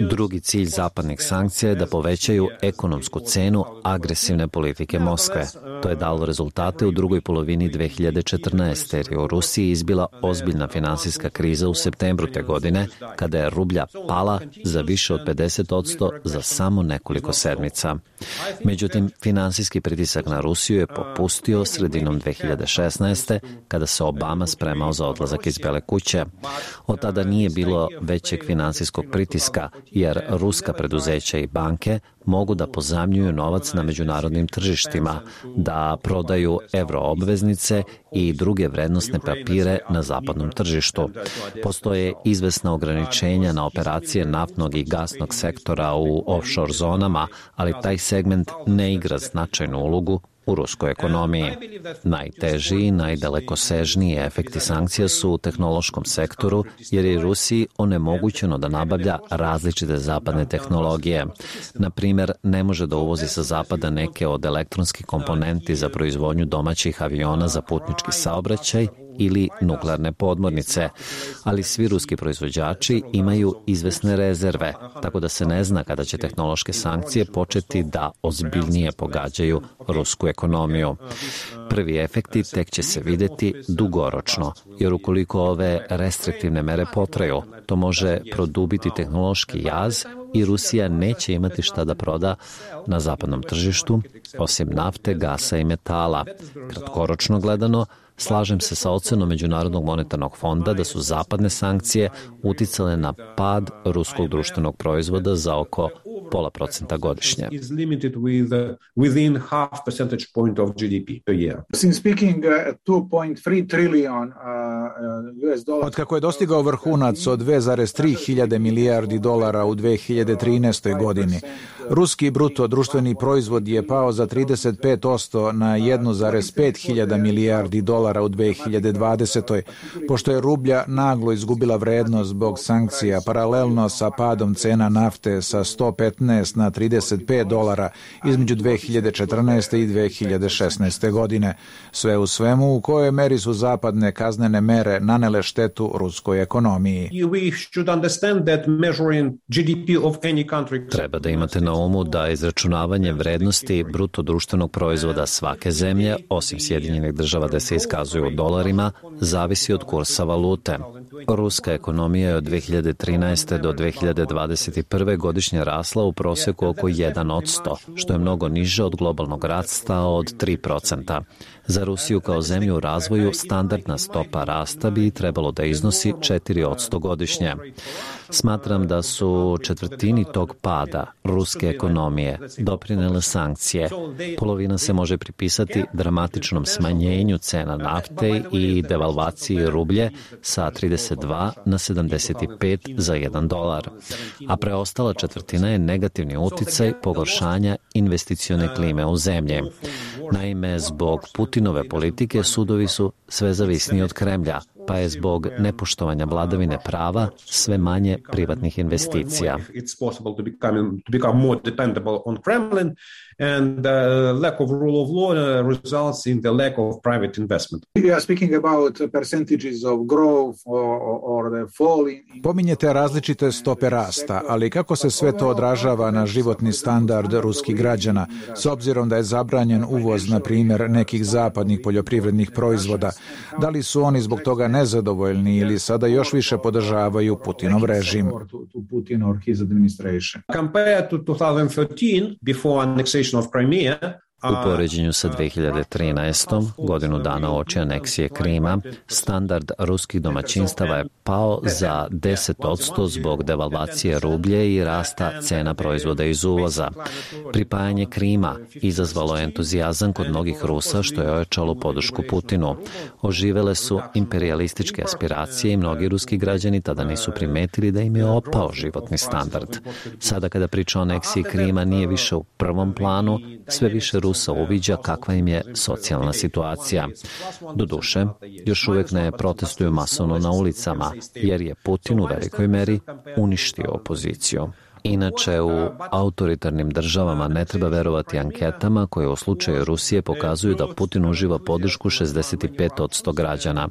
Drugi cilj zapadnih sankcija je da povećaju ekonomsku cenu agresivne politike Moskve. To je dalo rezultate u drugoj polovini dve hiljade četrnaeste. jer je u Rusiji izbila ozbiljna finansijska kriza u septembru te godine, kada je rublja pala za više od pedeset posto za samo nekoliko sedmica. Međutim, finansijski pritisak na Rusiju je popustio sredinom dve hiljade šesnaeste. kada se Obama spremao za odlazak iz Bele kuće. Od tada nije bilo većeg finansijskog pritiska, jer ruska preduzeća i banke mogu da pozajmljuju novac na međunarodnim tržištima, da prodaju euroobveznice i druge vrednosne papire na zapadnom tržištu. Postoje izvesna ograničenja na operacije naftnog i gasnog sektora u offshore zonama, ali taj segment ne igra značajnu ulogu u ruskoj ekonomiji. Najteži i najdalekosežniji efekti sankcija su u tehnološkom sektoru, jer je Rusiji onemogućeno da nabavlja različite zapadne tehnologije. Na primjer, ne može da uvozi sa zapada neke od elektronskih komponenti za proizvodnju domaćih aviona za putnički saobraćaj ili nuklearne podmornice, ali svi ruski proizvođači imaju izvesne rezerve, tako da se ne zna kada će tehnološke sankcije početi da ozbiljnije pogađaju rusku ekonomiju. Prvi efekti tek će se videti dugoročno, jer ukoliko ove restriktivne mere potraju, to može produbiti tehnološki jaz i Rusija neće imati šta da proda na zapadnom tržištu, osim nafte, gasa i metala. Kratkoročno gledano, slažem se sa ocenom Međunarodnog monetarnog fonda da su zapadne sankcije uticale na pad ruskog društvenog proizvoda za oko pola procenta godišnje. Od kako je dostigao vrhunac od dve zarez tri hiljade milijardi dolara u dve hiljade trinaestoj. godini, ruski bruto društveni proizvod je pao za trideset pet posto na jedan zarez pet hiljada milijardi dolara u dve hiljade dvadesetoj. pošto je rublja naglo izgubila vrednost zbog sankcija, paralelno sa padom cena nafte sa sto petnaest na trideset pet dolara između dve hiljade četrnaeste. i dve hiljade šesnaeste. godine. Sve u svemu, u kojoj meri su zapadne kaznene mere nanele štetu ruskoj ekonomiji. Treba da imate na umu da izračunavanje vrednosti bruto društvenog proizvoda svake zemlje, osim Sjedinjenih država da se iskazuju u dolarima, zavisi od kursa valute. Ruska ekonomija je od dve hiljade trinaeste. do dve hiljade dvadeset prve. godišnje rasla u prosjeku oko jedan posto, što je mnogo niže od globalnog rasta od tri procenta. Za Rusiju kao zemlju u razvoju standardna stopa rasta bi trebalo da iznosi četiri posto godišnje. Smatram da su četvrtini tog pada ruske ekonomije doprinele sankcije. Polovina se može pripisati dramatičnom smanjenju cena nafte i devalvaciji rublje sa trideset dva na sedamdeset pet za jedan dolar. A preostala četvrtina je negativni uticaj pogoršanja investicione klime u zemlji. Naime, zbog Putinove politike sudovi su sve zavisniji od Kremlja, pa je zbog nepoštovanja vladavine prava sve manje privatnih investicija. And the lack of rule of law results in the lack of private investment. We are speaking about percentages of growth or, or the fall in... Pominjete različite stope rasta, ali kako se sve to odražava na životni standard ruskih građana, s obzirom da je zabranjen uvoz, na primjer, nekih zapadnih poljoprivrednih proizvoda? Da li su oni zbog toga nezadovoljni ili sada još više podržavaju Putinov režim? Compared to twenty thirteen, before annexation of Crimea, U poređenju sa dve hiljade trinaestom. godinu dana uoči aneksije Krima, standard ruskih domaćinstava je pao za deset posto zbog devalvacije rublje i rasta cena proizvoda iz uvoza. Pripajanje Krima izazvalo entuzijazam kod mnogih Rusa, što je ojačalo podršku Putinu. Oživele su imperijalističke aspiracije i mnogi ruski građani tada nisu primetili da im je opao životni standard. Sada kada priča o aneksiji Krima nije više u prvom planu, sve više Rusa uviđa kakva im je socijalna situacija. Doduše, još uvijek ne protestuju masovno na ulicama, jer je Putin u velikoj meri uništio opoziciju. Inače, u autoritarnim državama ne treba verovati anketama koje u slučaju Rusije pokazuju da Putin uživa podršku šezdeset pet posto građana.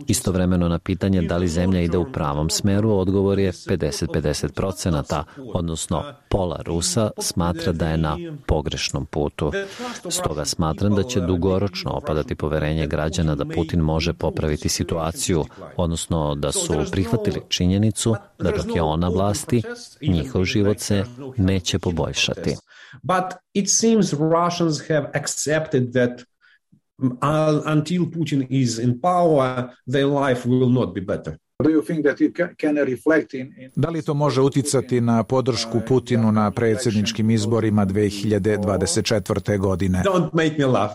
Istovremeno na pitanje da li zemlja ide u pravom smeru, odgovor je pedeset pedeset procenata, odnosno pola Rusa smatra da je na pogrešnom putu. Stoga smatram da će dugoročno opadati poverenje građana da Putin može popraviti situaciju, odnosno da su prihvatili činjenicu da dok je on na vlasti, njihov život se neće poboljšati. But it seems Russians have accepted that until Putin is in power, their life will not be better. Da li to može uticati na podršku Putinu na predsjedničkim izborima dve hiljade dvadeset četvrte. godine? Don't make me laugh.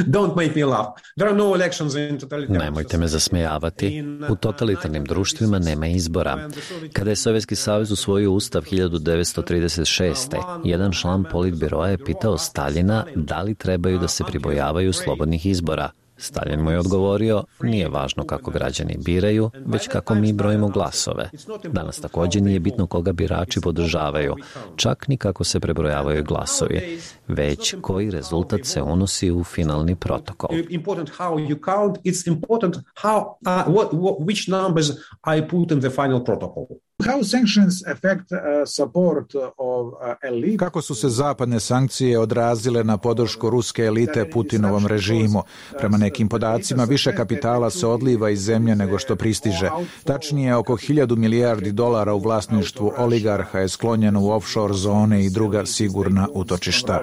Don't make me laugh. There are no elections in totalitarian. Nemojte me zasmejavati. U totalitarnim društvima nema izbora. Kada je Sovjetski savez usvojio ustav hiljadu devetsto trideset šeste. jedan član politbiroa je pitao Staljina da li trebaju da se pribojavaju slobodnih izbora. Stalin mu je odgovorio, nije važno kako građani biraju, već kako mi brojimo glasove. Danas također nije bitno koga birači podržavaju, čak ni kako se prebrojavaju glasovi, već koji rezultat se unosi u finalni protokol. Important how you count, it's important how, uh, what, what, which numbers I put in the final protocol. How sanctions affect uh, support of uh, elite? Kako su se zapadne sankcije odrazile na podršku ruske elite Putinovom režimu? Prema nekim podacima više kapitala se odliva iz zemlje nego što pristiže. Tačnije, oko hiljadu milijardi dolara u vlasništvu oligarha je sklonjeno u offshore zone i druga sigurna utočišta.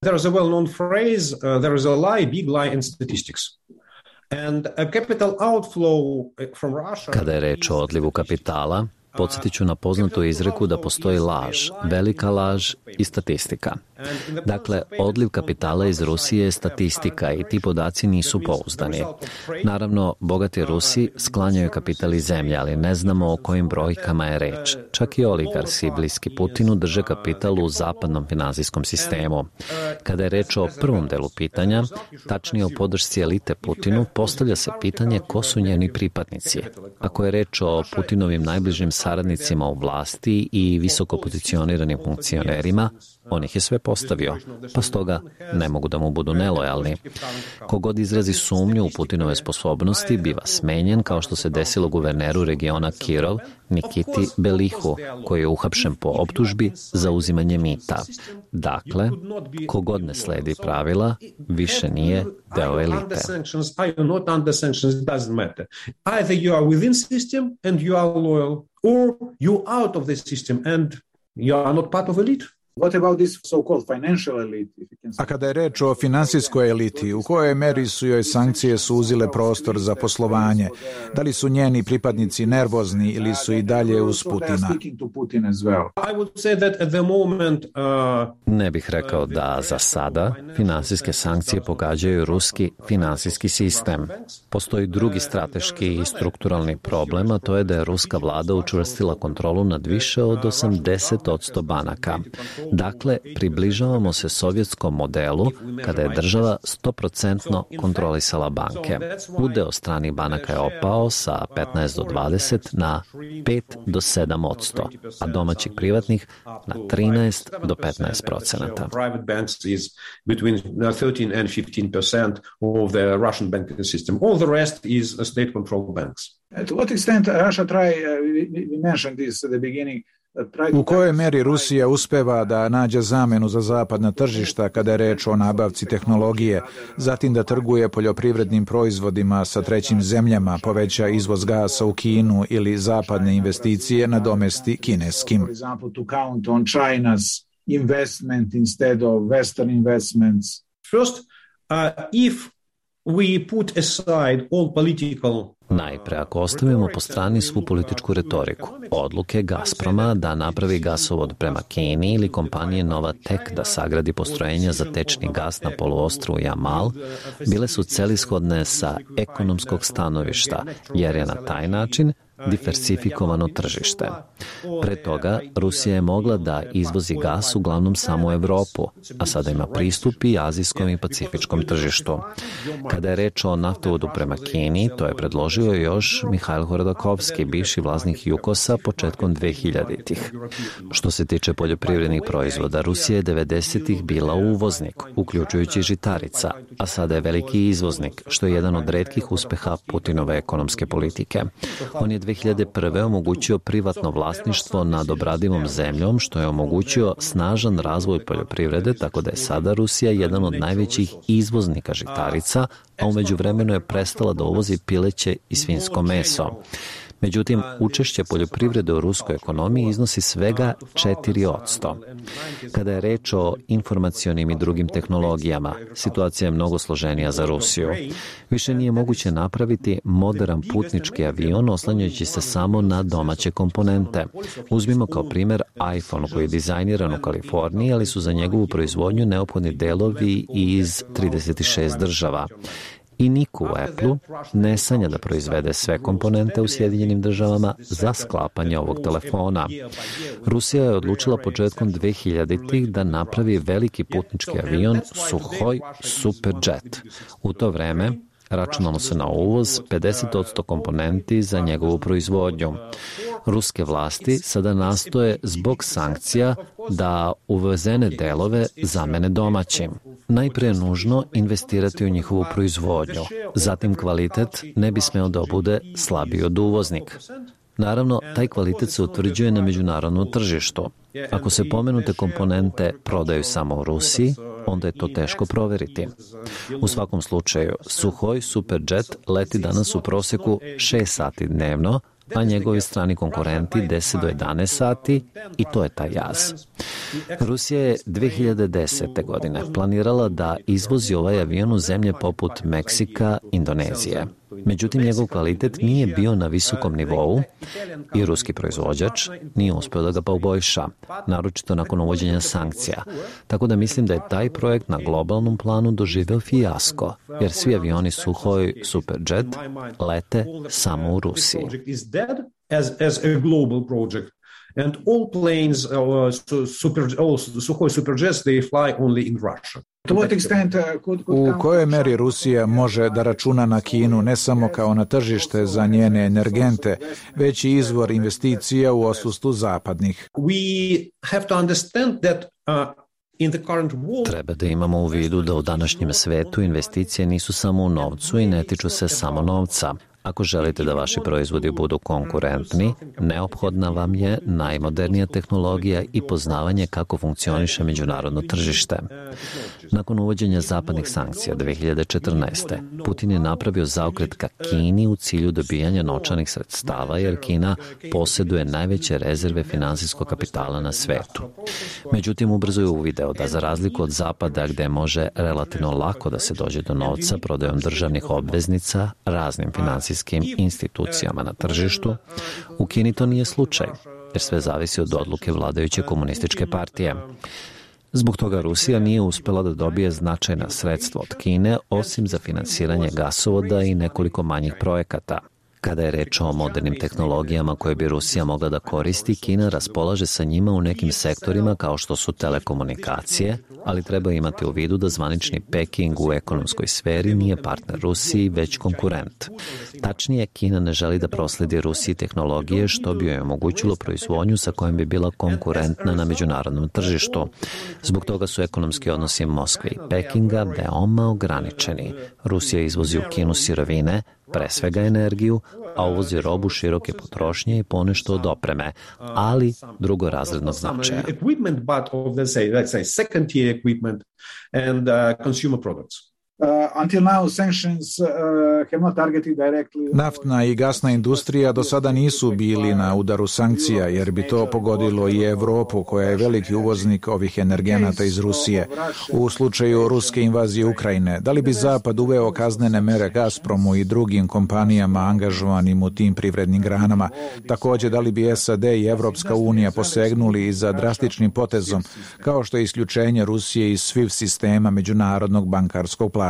There is a well-known phrase, uh, there is a lie, big lie in statistics. And a capital outflow from Russia. Kada je reč o odlivu kapitala, podsjetit ću na poznatu izreku da postoji laž, velika laž i statistika. Dakle, odliv kapitala iz Rusije je statistika i ti podaci nisu pouzdani. Naravno, bogati Rusi sklanjaju kapital iz zemlje, ali ne znamo o kojim brojkama je reč. Čak i oligarsi bliski Putinu drže kapital u zapadnom finansijskom sistemu. Kada je reč o prvom delu pitanja, tačnije o podršci elite Putinu, postavlja se pitanje ko su njeni pripadnici. Ako je reč o Putinovim najbližim saradnicima u vlasti i visoko pozicioniranim funkcionerima, on ih je sve postavio, pa stoga ne mogu da mu budu nelojalni. Kogod izrazi sumnju u Putinove sposobnosti biva smenjen, kao što se desilo guverneru regiona Kirov, Nikiti Belihu, koji je uhapšen po optužbi za uzimanje mita. Dakle, kogod ne sledi pravila, više nije deo elite. Or you out of the system and you are not part of elite. What about this so-called financial elite? A kada je reč o finansijskoj eliti, u kojoj meri su joj sankcije suzile prostor za poslovanje? Da li su njeni pripadnici nervozni ili su i dalje uz Putina? Ne bih rekao da za sada finansijske sankcije pogađaju ruski finansijski sistem. Postoji drugi strateški i strukturalni problem, a to je da je ruska vlada učvrstila kontrolu nad više od osamdeset posto banaka. Dakle, približavamo se sovjetskom modelu kada je država sto posto kontrolisala banke. Udeo stranih banaka je opao sa petnaest do dvadeset na pet do sedam posto, a domaćih privatnih na trinaest do petnaest procenata. Private banks is between thirteen and fifteen percent of the Russian banking system. All the rest is state-controlled banks. To what extent Russia try, uh, we, we mentioned this at the beginning, U kojoj meri Rusija uspeva da nađe zamenu za zapadna tržišta kada je reč o nabavci tehnologije, zatim da trguje poljoprivrednim proizvodima sa trećim zemljama, poveća izvoz gasa u Kinu ili zapadne investicije nadomesti kineskim. First, uh, if we put aside all political Najpre, ako ostavimo po strani svu političku retoriku, odluke Gazproma da napravi gasovod prema Kini ili kompanije Novatek da sagradi postrojenja za tečni gas na poluostrvu Jamal, bile su celishodne sa ekonomskog stanovišta, jer je na taj način diversifikovano tržište. Pre toga, Rusija je mogla da izvozi gas uglavnom samo u Evropu, a sada ima pristup i azijskom i pacifičkom tržištu. Kada je reč o naftovodu prema Kini, to je predložio još Mihajl Hodakovski, bivši vlasnik Jukosa, početkom dvehiljaditih. Što se tiče poljoprivrednih proizvoda, Rusija je devedesetih bila uvoznik, uključujući žitarica, a sada je veliki izvoznik, što je jedan od retkih uspeha Putinove ekonomske politike. On je dve hiljade prve omogućio privatno vlasništvo nad obradivom zemljom, što je omogućio snažan razvoj poljoprivrede, tako da je sada Rusija jedan od najvećih izvoznika žitarica, a u međuvremenu je prestala da uvozi pileće i svinjsko meso. Međutim, učešće poljoprivrede u ruskoj ekonomiji iznosi svega četiri posto. Kada je reč o informacionim i drugim tehnologijama, situacija je mnogo složenija za Rusiju. Više nije moguće napraviti moderan putnički avion oslanjajući se samo na domaće komponente. Uzmimo kao primjer iPhone koji je dizajniran u Kaliforniji, ali su za njegovu proizvodnju neophodni delovi iz trideset šest država. I niko u Apple-u ne sanja da proizvede sve komponente u Sjedinjenim državama za sklapanje ovog telefona. Rusija je odlučila početkom dvehiljaditih da napravi veliki putnički avion Suhoj Superjet. U to vreme računalo se na uvoz pedeset posto komponenti za njegovu proizvodnju. Ruske vlasti sada nastoje zbog sankcija da uvezene delove zamene domaćim. Najpre je nužno investirati u njihovu proizvodnju, zatim kvalitet ne bi smeo da bude slabiji od uvoznik. Naravno, taj kvalitet se utvrđuje na međunarodnom tržištu. Ako se pomenute komponente prodaju samo u Rusiji, onda je to teško proveriti. U svakom slučaju, Suhoj Superjet leti danas u proseku šest sati dnevno, a njegovi strani konkurenti deset do jedanaest sati i to je taj jaz. Rusija je dve hiljade desete. godine planirala da izvozi ovaj avion u zemlje poput Meksika, Indonezije. Međutim, njegov kvalitet nije bio na visokom nivou i ruski proizvođač nije uspeo da ga poboljša, naročito nakon uvođenja sankcija. Tako da mislim da je taj projekt na globalnom planu doživeo fijasko, jer svi avioni Suhoj Superjet lete samo u Rusiji. And all planes, uh, super, all Suhoj Superjets, they fly only in Russia. U kojoj meri Rusija može da računa na Kinu ne samo kao na tržište za njene energente, već i izvor investicija u odsustvu zapadnih? We have to understand that uh, Treba da imamo u vidu da u današnjem svetu investicije nisu samo u novcu i ne tiču se samo novca. Ako želite da vaši proizvodi budu konkurentni, neophodna vam je najmodernija tehnologija i poznavanje kako funkcioniše međunarodno tržište. Nakon uvođenja zapadnih sankcija dve hiljade četrnaeste. Putin je napravio zaokret ka Kini u cilju dobijanja novčanih sredstava, jer Kina posjeduje najveće rezerve finansijskog kapitala na svetu. Međutim, ubrzo je uvideo da za razliku od Zapada, gde može relativno lako da se dođe do novca prodajom državnih obveznica raznim finansijskim institucijama na tržištu, u Kini to nije slučaj, jer sve zavisi od odluke vladajuće komunističke partije. Zbog toga Rusija nije uspela da dobije značajna sredstva od Kine, osim za finansiranje gasovoda i nekoliko manjih projekata. Kada je reč o modernim tehnologijama koje bi Rusija mogla da koristi, Kina raspolaže sa njima u nekim sektorima kao što su telekomunikacije, ali treba imati u vidu da zvanični Peking u ekonomskoj sferi nije partner Rusiji, već konkurent. Tačnije, Kina ne želi da prosledi Rusiji tehnologije što bi joj omogućilo proizvodnju sa kojom bi bila konkurentna na međunarodnom tržištu. Zbog toga su ekonomski odnosi Moskve i Pekinga veoma ograničeni. Rusija izvozi u Kinu sirovine, pre svega energiju, a uvozi robu široke potrošnje i ponešto od opreme, ali drugorazrednog značaja. Naftna i gasna industrija do sada nisu bili na udaru sankcija, jer bi to pogodilo i Evropu, koja je veliki uvoznik ovih energenata iz Rusije. U slučaju ruske invazije Ukrajine, da li bi Zapad uveo kaznene mere Gazpromu i drugim kompanijama angažovanim u tim privrednim granama? Također, da li bi S A D i Evropska unija posegnuli i za drastičnim potezom, kao što je isključenje Rusije iz SWIFT sistema međunarodnog bankarskog plaćanja?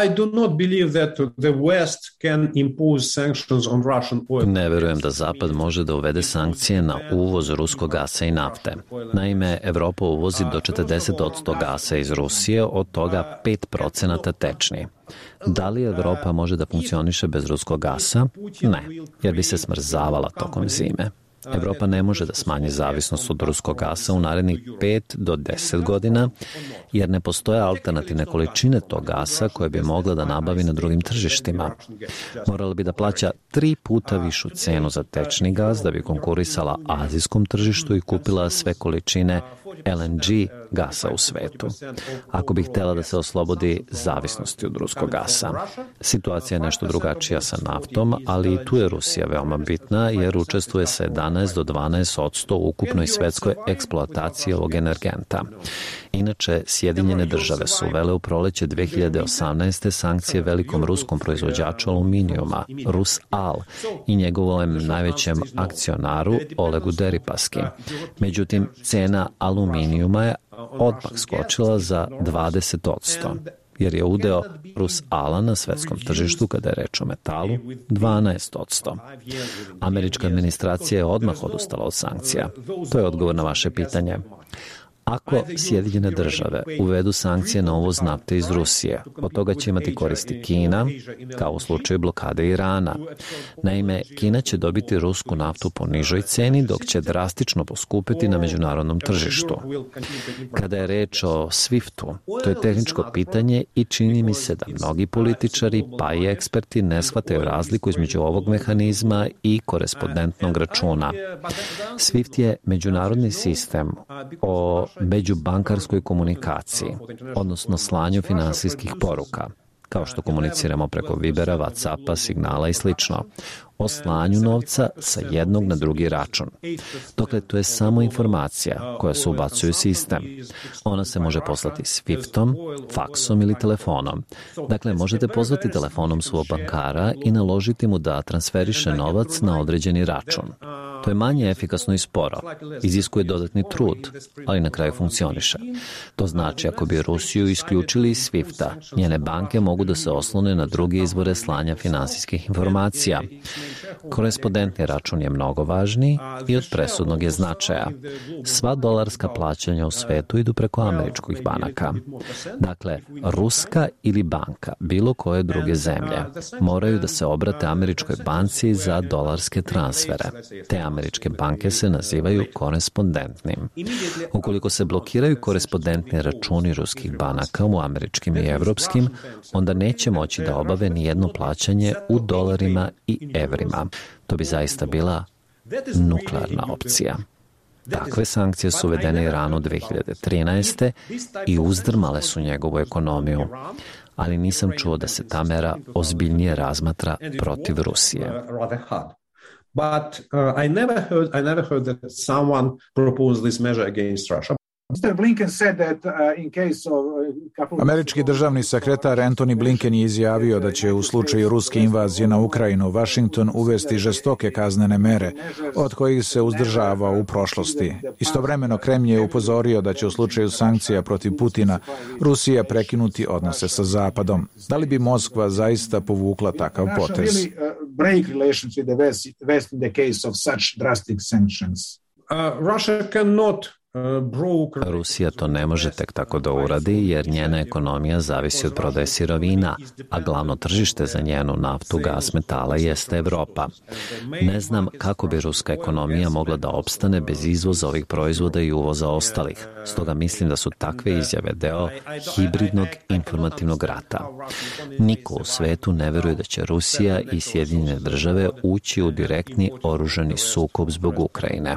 I do not believe that the West can impose sanctions on Russian oil. Ne verujem da Zapad može da uvede sankcije na uvoz ruskog gasa i nafte. Naime, Evropa uvozi do četrdeset posto gasa iz Rusije, od toga pet procenata tečni. Da li Evropa može da funkcioniše bez ruskog gasa? Ne, jer bi se smrzavala tokom zime. Evropa ne može da smanji zavisnost od ruskog gasa u narednih pet do deset godina, jer ne postoje alternativne količine tog gasa koje bi mogla da nabavi na drugim tržištima. Morala bi da plaća tri puta višu cenu za tečni gas da bi konkurisala azijskom tržištu i kupila sve količine L N G gasa u svetu, ako bi htjela da se oslobodi zavisnosti od ruskog gasa. Situacija je nešto drugačija sa naftom, ali i tu je Rusija veoma bitna, jer učestvuje sa jedanaest do dvanaest posto u ukupnoj svetskoj eksploataciji ovog energenta. Inače, Sjedinjene države su uvele u proleće dve hiljade osamnaeste. sankcije velikom ruskom proizvođaču aluminijuma, Rusal, i njegovom najvećem akcionaru Olegu Deripaski. Međutim, cena aluminijuma je odmah skočila za dvadeset posto, jer je udeo Rusala na svetskom tržištu, kada je reč o metalu, dvanaest posto. Američka administracija je odmah odustala od sankcija. To je odgovor na vaše pitanje. Ako Sjedinjene države uvedu sankcije na uvoz nafte iz Rusije, od toga će imati koristi Kina, kao u slučaju blokade Irana. Naime, Kina će dobiti rusku naftu po nižoj ceni, dok će drastično poskupiti na međunarodnom tržištu. Kada je reč o SWIFT-u, to je tehničko pitanje i čini mi se da mnogi političari, pa i eksperti, ne shvataju razliku između ovog mehanizma i korespondentnog računa. SWIFT je međunarodni sistem o međubankarskoj komunikaciji, odnosno slanju finansijskih poruka, kao što komuniciramo preko Vibera, Whatsappa, signala i slično, o slanju novca sa jednog na drugi račun. Dokle, to je samo informacija koja se ubacuje u sistem. Ona se može poslati Swiftom, faksom ili telefonom. Dakle, možete pozvati telefonom svog bankara i naložiti mu da transferiše novac na određeni račun. To je manje efikasno i sporo, iziskuje dodatni trud, ali na kraju funkcioniše. To znači, ako bi Rusiju isključili iz SWIFT-a, njene banke mogu da se oslone na druge izvore slanja finansijskih informacija. Korespondentni račun je mnogo važniji i od presudnog je značaja. Sva dolarska plaćanja u svetu idu preko američkih banaka. Dakle, ruska ili banka bilo koje druge zemlje moraju da se obrate američkoj banci za dolarske transfere. Te američke banke se nazivaju korespondentnim. Ukoliko se blokiraju korespondentni računi ruskih banaka u američkim i evropskim, onda neće moći da obave ni jedno plaćanje u dolarima i evrima. To bi zaista bila nuklearna opcija. Takve sankcije su uvedene Iranu dve hiljade trinaeste. i uzdrmale su njegovu ekonomiju, ali nisam čuo da se ta mera ozbiljnije razmatra protiv Rusije. But uh, I never heard I never heard that someone proposed this measure against Russia. Američki državni sekretar Antony Blinken je izjavio da će u slučaju ruske invazije na Ukrajinu Washington uvesti žestoke kaznene mere, od kojih se uzdržavao u prošlosti. Istovremeno Kremlj je upozorio da će u slučaju sankcija protiv Putina Rusija prekinuti odnose sa Zapadom. Da li bi Moskva zaista povukla takav potez? Uh, Russia cannot Rusija to ne može tek tako da uradi jer njena ekonomija zavisi od prodaje sirovina, a glavno tržište za njenu naftu, gas, metala jeste Evropa. Ne znam kako bi ruska ekonomija mogla da opstane bez izvoza ovih proizvoda i uvoza ostalih. Stoga mislim da su takve izjave deo hibridnog informativnog rata. Niko u svetu ne veruje da će Rusija i Sjedinjene države ući u direktni oružani sukob zbog Ukrajine.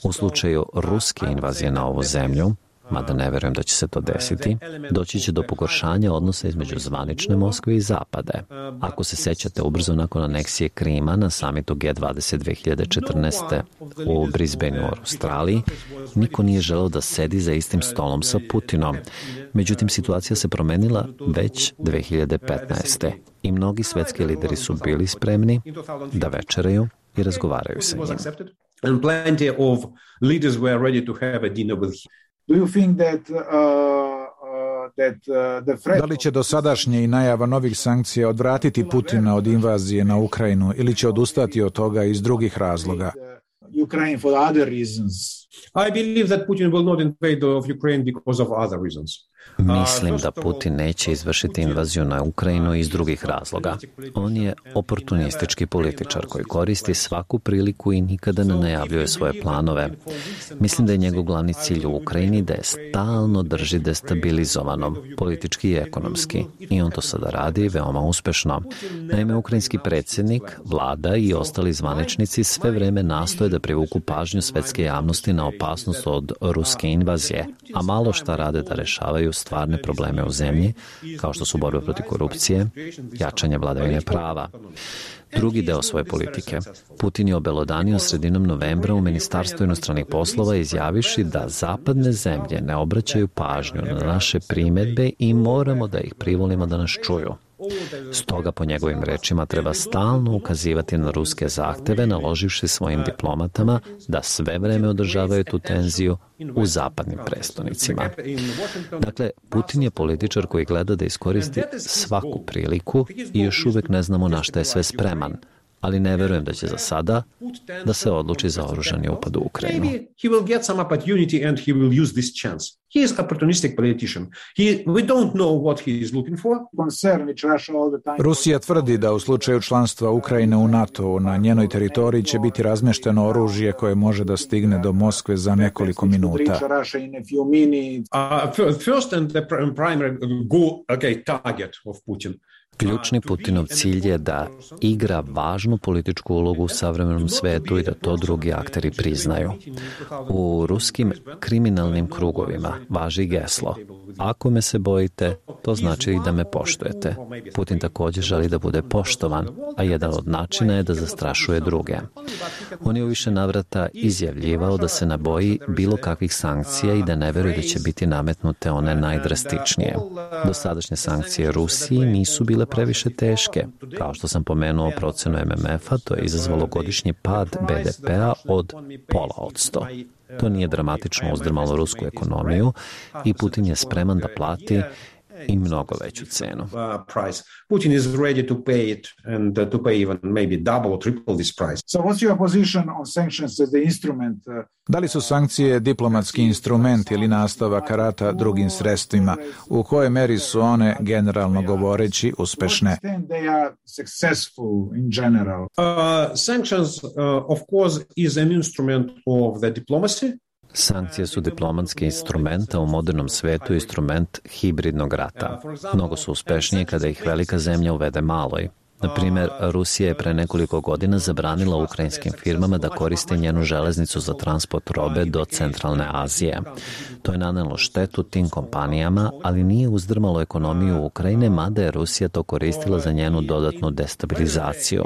U slučaju ruske invazije na ovu zemlju, mada ne verujem da će se to desiti, doći će do pogoršanja odnosa između zvanične Moskve i Zapade. Ako se sećate, ubrzo nakon aneksije Krima na samitu G dvadeset dve hiljade četrnaeste. u Brisbaneu u Australiji, niko nije želeo da sedi za istim stolom sa Putinom. Međutim, situacija se promenila već dve hiljade petnaeste. i mnogi svetski lideri su bili spremni da večeraju i razgovaraju sa njim. And plenty of leaders were ready to have a dinner with him. Do you think that uh, uh, that uh, the threat... Da li će dosadašnje i najava novih sankcija odvratiti Putina od invazije na Ukrajinu ili će odustati od toga iz drugih razloga? Ukraine for other reasons. I believe that Putin will not invade of Ukraine because of other reasons. Mislim da Putin neće izvršiti invaziju na Ukrajinu iz drugih razloga. On je oportunistički političar koji koristi svaku priliku i nikada ne najavljuje svoje planove. Mislim da je njegov glavni cilj u Ukrajini da je stalno drži destabilizovanom, politički i ekonomski. I on to sada radi veoma uspešno. Naime, ukrajinski predsjednik, vlada i ostali zvaničnici sve vreme nastoje da privuku pažnju svetske javnosti na opasnost od ruske invazije, a malo šta rade da rešavaju stvarne probleme u zemlji, kao što su borba protiv korupcije, jačanje vladavine prava. Drugi deo svoje politike. Putin je obelodanio sredinom novembra u Ministarstvu inostranih poslova izjaviši da zapadne zemlje ne obraćaju pažnju na naše primedbe i moramo da ih privolimo da nas čuju. Stoga, po njegovim rečima, treba stalno ukazivati na ruske zahteve, naloživši svojim diplomatama da sve vreme održavaju tu tenziju u zapadnim prestonicima. Dakle, Putin je političar koji gleda da iskoristi svaku priliku i još uvek ne znamo na šta je sve spreman, ali ne verujem da će za sada da se odluči za oružani upad u Ukrajinu. He will get some opportunity and he will use this chance. He is opportunistic politician. He, we don't know what he is looking for. Rusija tvrdi da u slučaju članstva Ukrajine u NATO na njenoj teritoriji će biti razmešteno oružje koje može da stigne do Moskve za nekoliko minuta. Uh, first and the primary go, okay, target of Putin. Ključni Putinov cilj je da igra važnu političku ulogu u savremenom svetu i da to drugi akteri priznaju. U ruskim kriminalnim krugovima važi geslo: ako me se bojite, to znači i da me poštujete. Putin također želi da bude poštovan, a jedan od načina je da zastrašuje druge. On je u više navrata izjavljivao da se ne boji bilo kakvih sankcija i da ne veruje da će biti nametnute one najdrastičnije. Dosadašnje sankcije Rusiji nisu bile previše teške. Kao što sam pomenuo procenu M M F-a, to je izazvalo godišnji pad B D P-a od pola od sto. To nije dramatično uzdrmalo rusku ekonomiju i Putin je spreman da plati i mnogo veću cenu. Putin is ready to pay it and to pay even maybe double or triple this price. So what's your position on sanctions as the instrument? Da li su sankcije diplomatski instrument ili nastavak rata drugim sredstvima? U kojoj meri su one, generalno govoreći, uspešne? They are successful in general. Uh, sanctions, uh, of course, is an instrument of the diplomacy. Sankcije su diplomatski instrument, a u modernom svetu instrument hibridnog rata. Mnogo su uspešnije kada ih velika zemlja uvede maloj. Na primjer, Rusija je pre nekoliko godina zabranila ukrajinskim firmama da koriste njenu železnicu za transport robe do Centralne Azije. To je nanelo štetu tim kompanijama, ali nije uzdrmalo ekonomiju Ukrajine, mada je Rusija to koristila za njenu dodatnu destabilizaciju.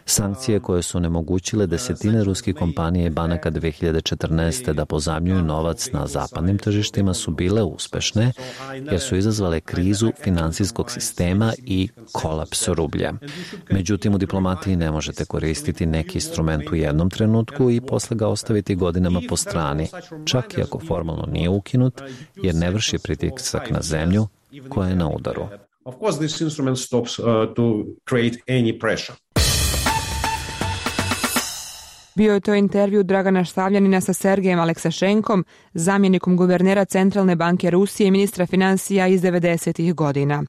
Sankcije koje su onemogućile desetine ruskih kompanija i banaka dve hiljade četrnaeste. da pozajmljuju novac na zapadnim tržištima su bile uspešne jer su izazvale krizu finansijskog sistema i kolaps rublja. Međutim, u diplomatiji ne možete koristiti neki instrument u jednom trenutku i posle ga ostaviti godinama po strani, čak i ako formalno nije ukinut, jer ne vrši pritisak na zemlju koja je na udaru. Of course, this instrument stops uh, to create any pressure. Bio je to intervju Dragana Stavljanina sa Sergejem Aleksašenkom, zamjenikom guvernera Centralne banke Rusije i ministra financija iz devedesetih godina.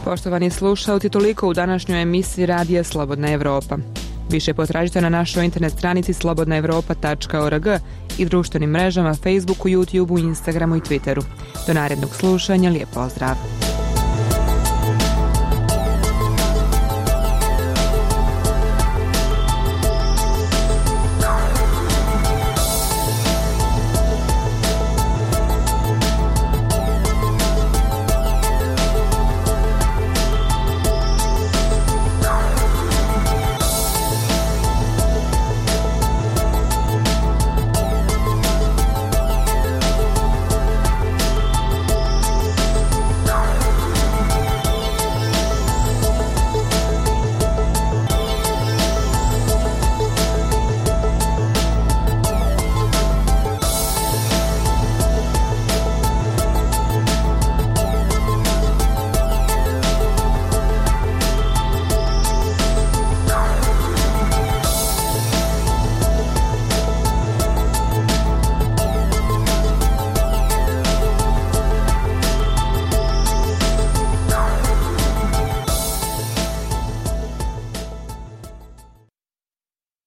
Poštovani slušalci, toliko u današnjoj emisiji Radija Slobodna Evropa. Više potražite na našoj internet stranici slobodna evropa tačka org i društvenim mrežama Facebooku, YouTubeu, Instagramu i Twitteru. Do narednog slušanja, lijep pozdrav!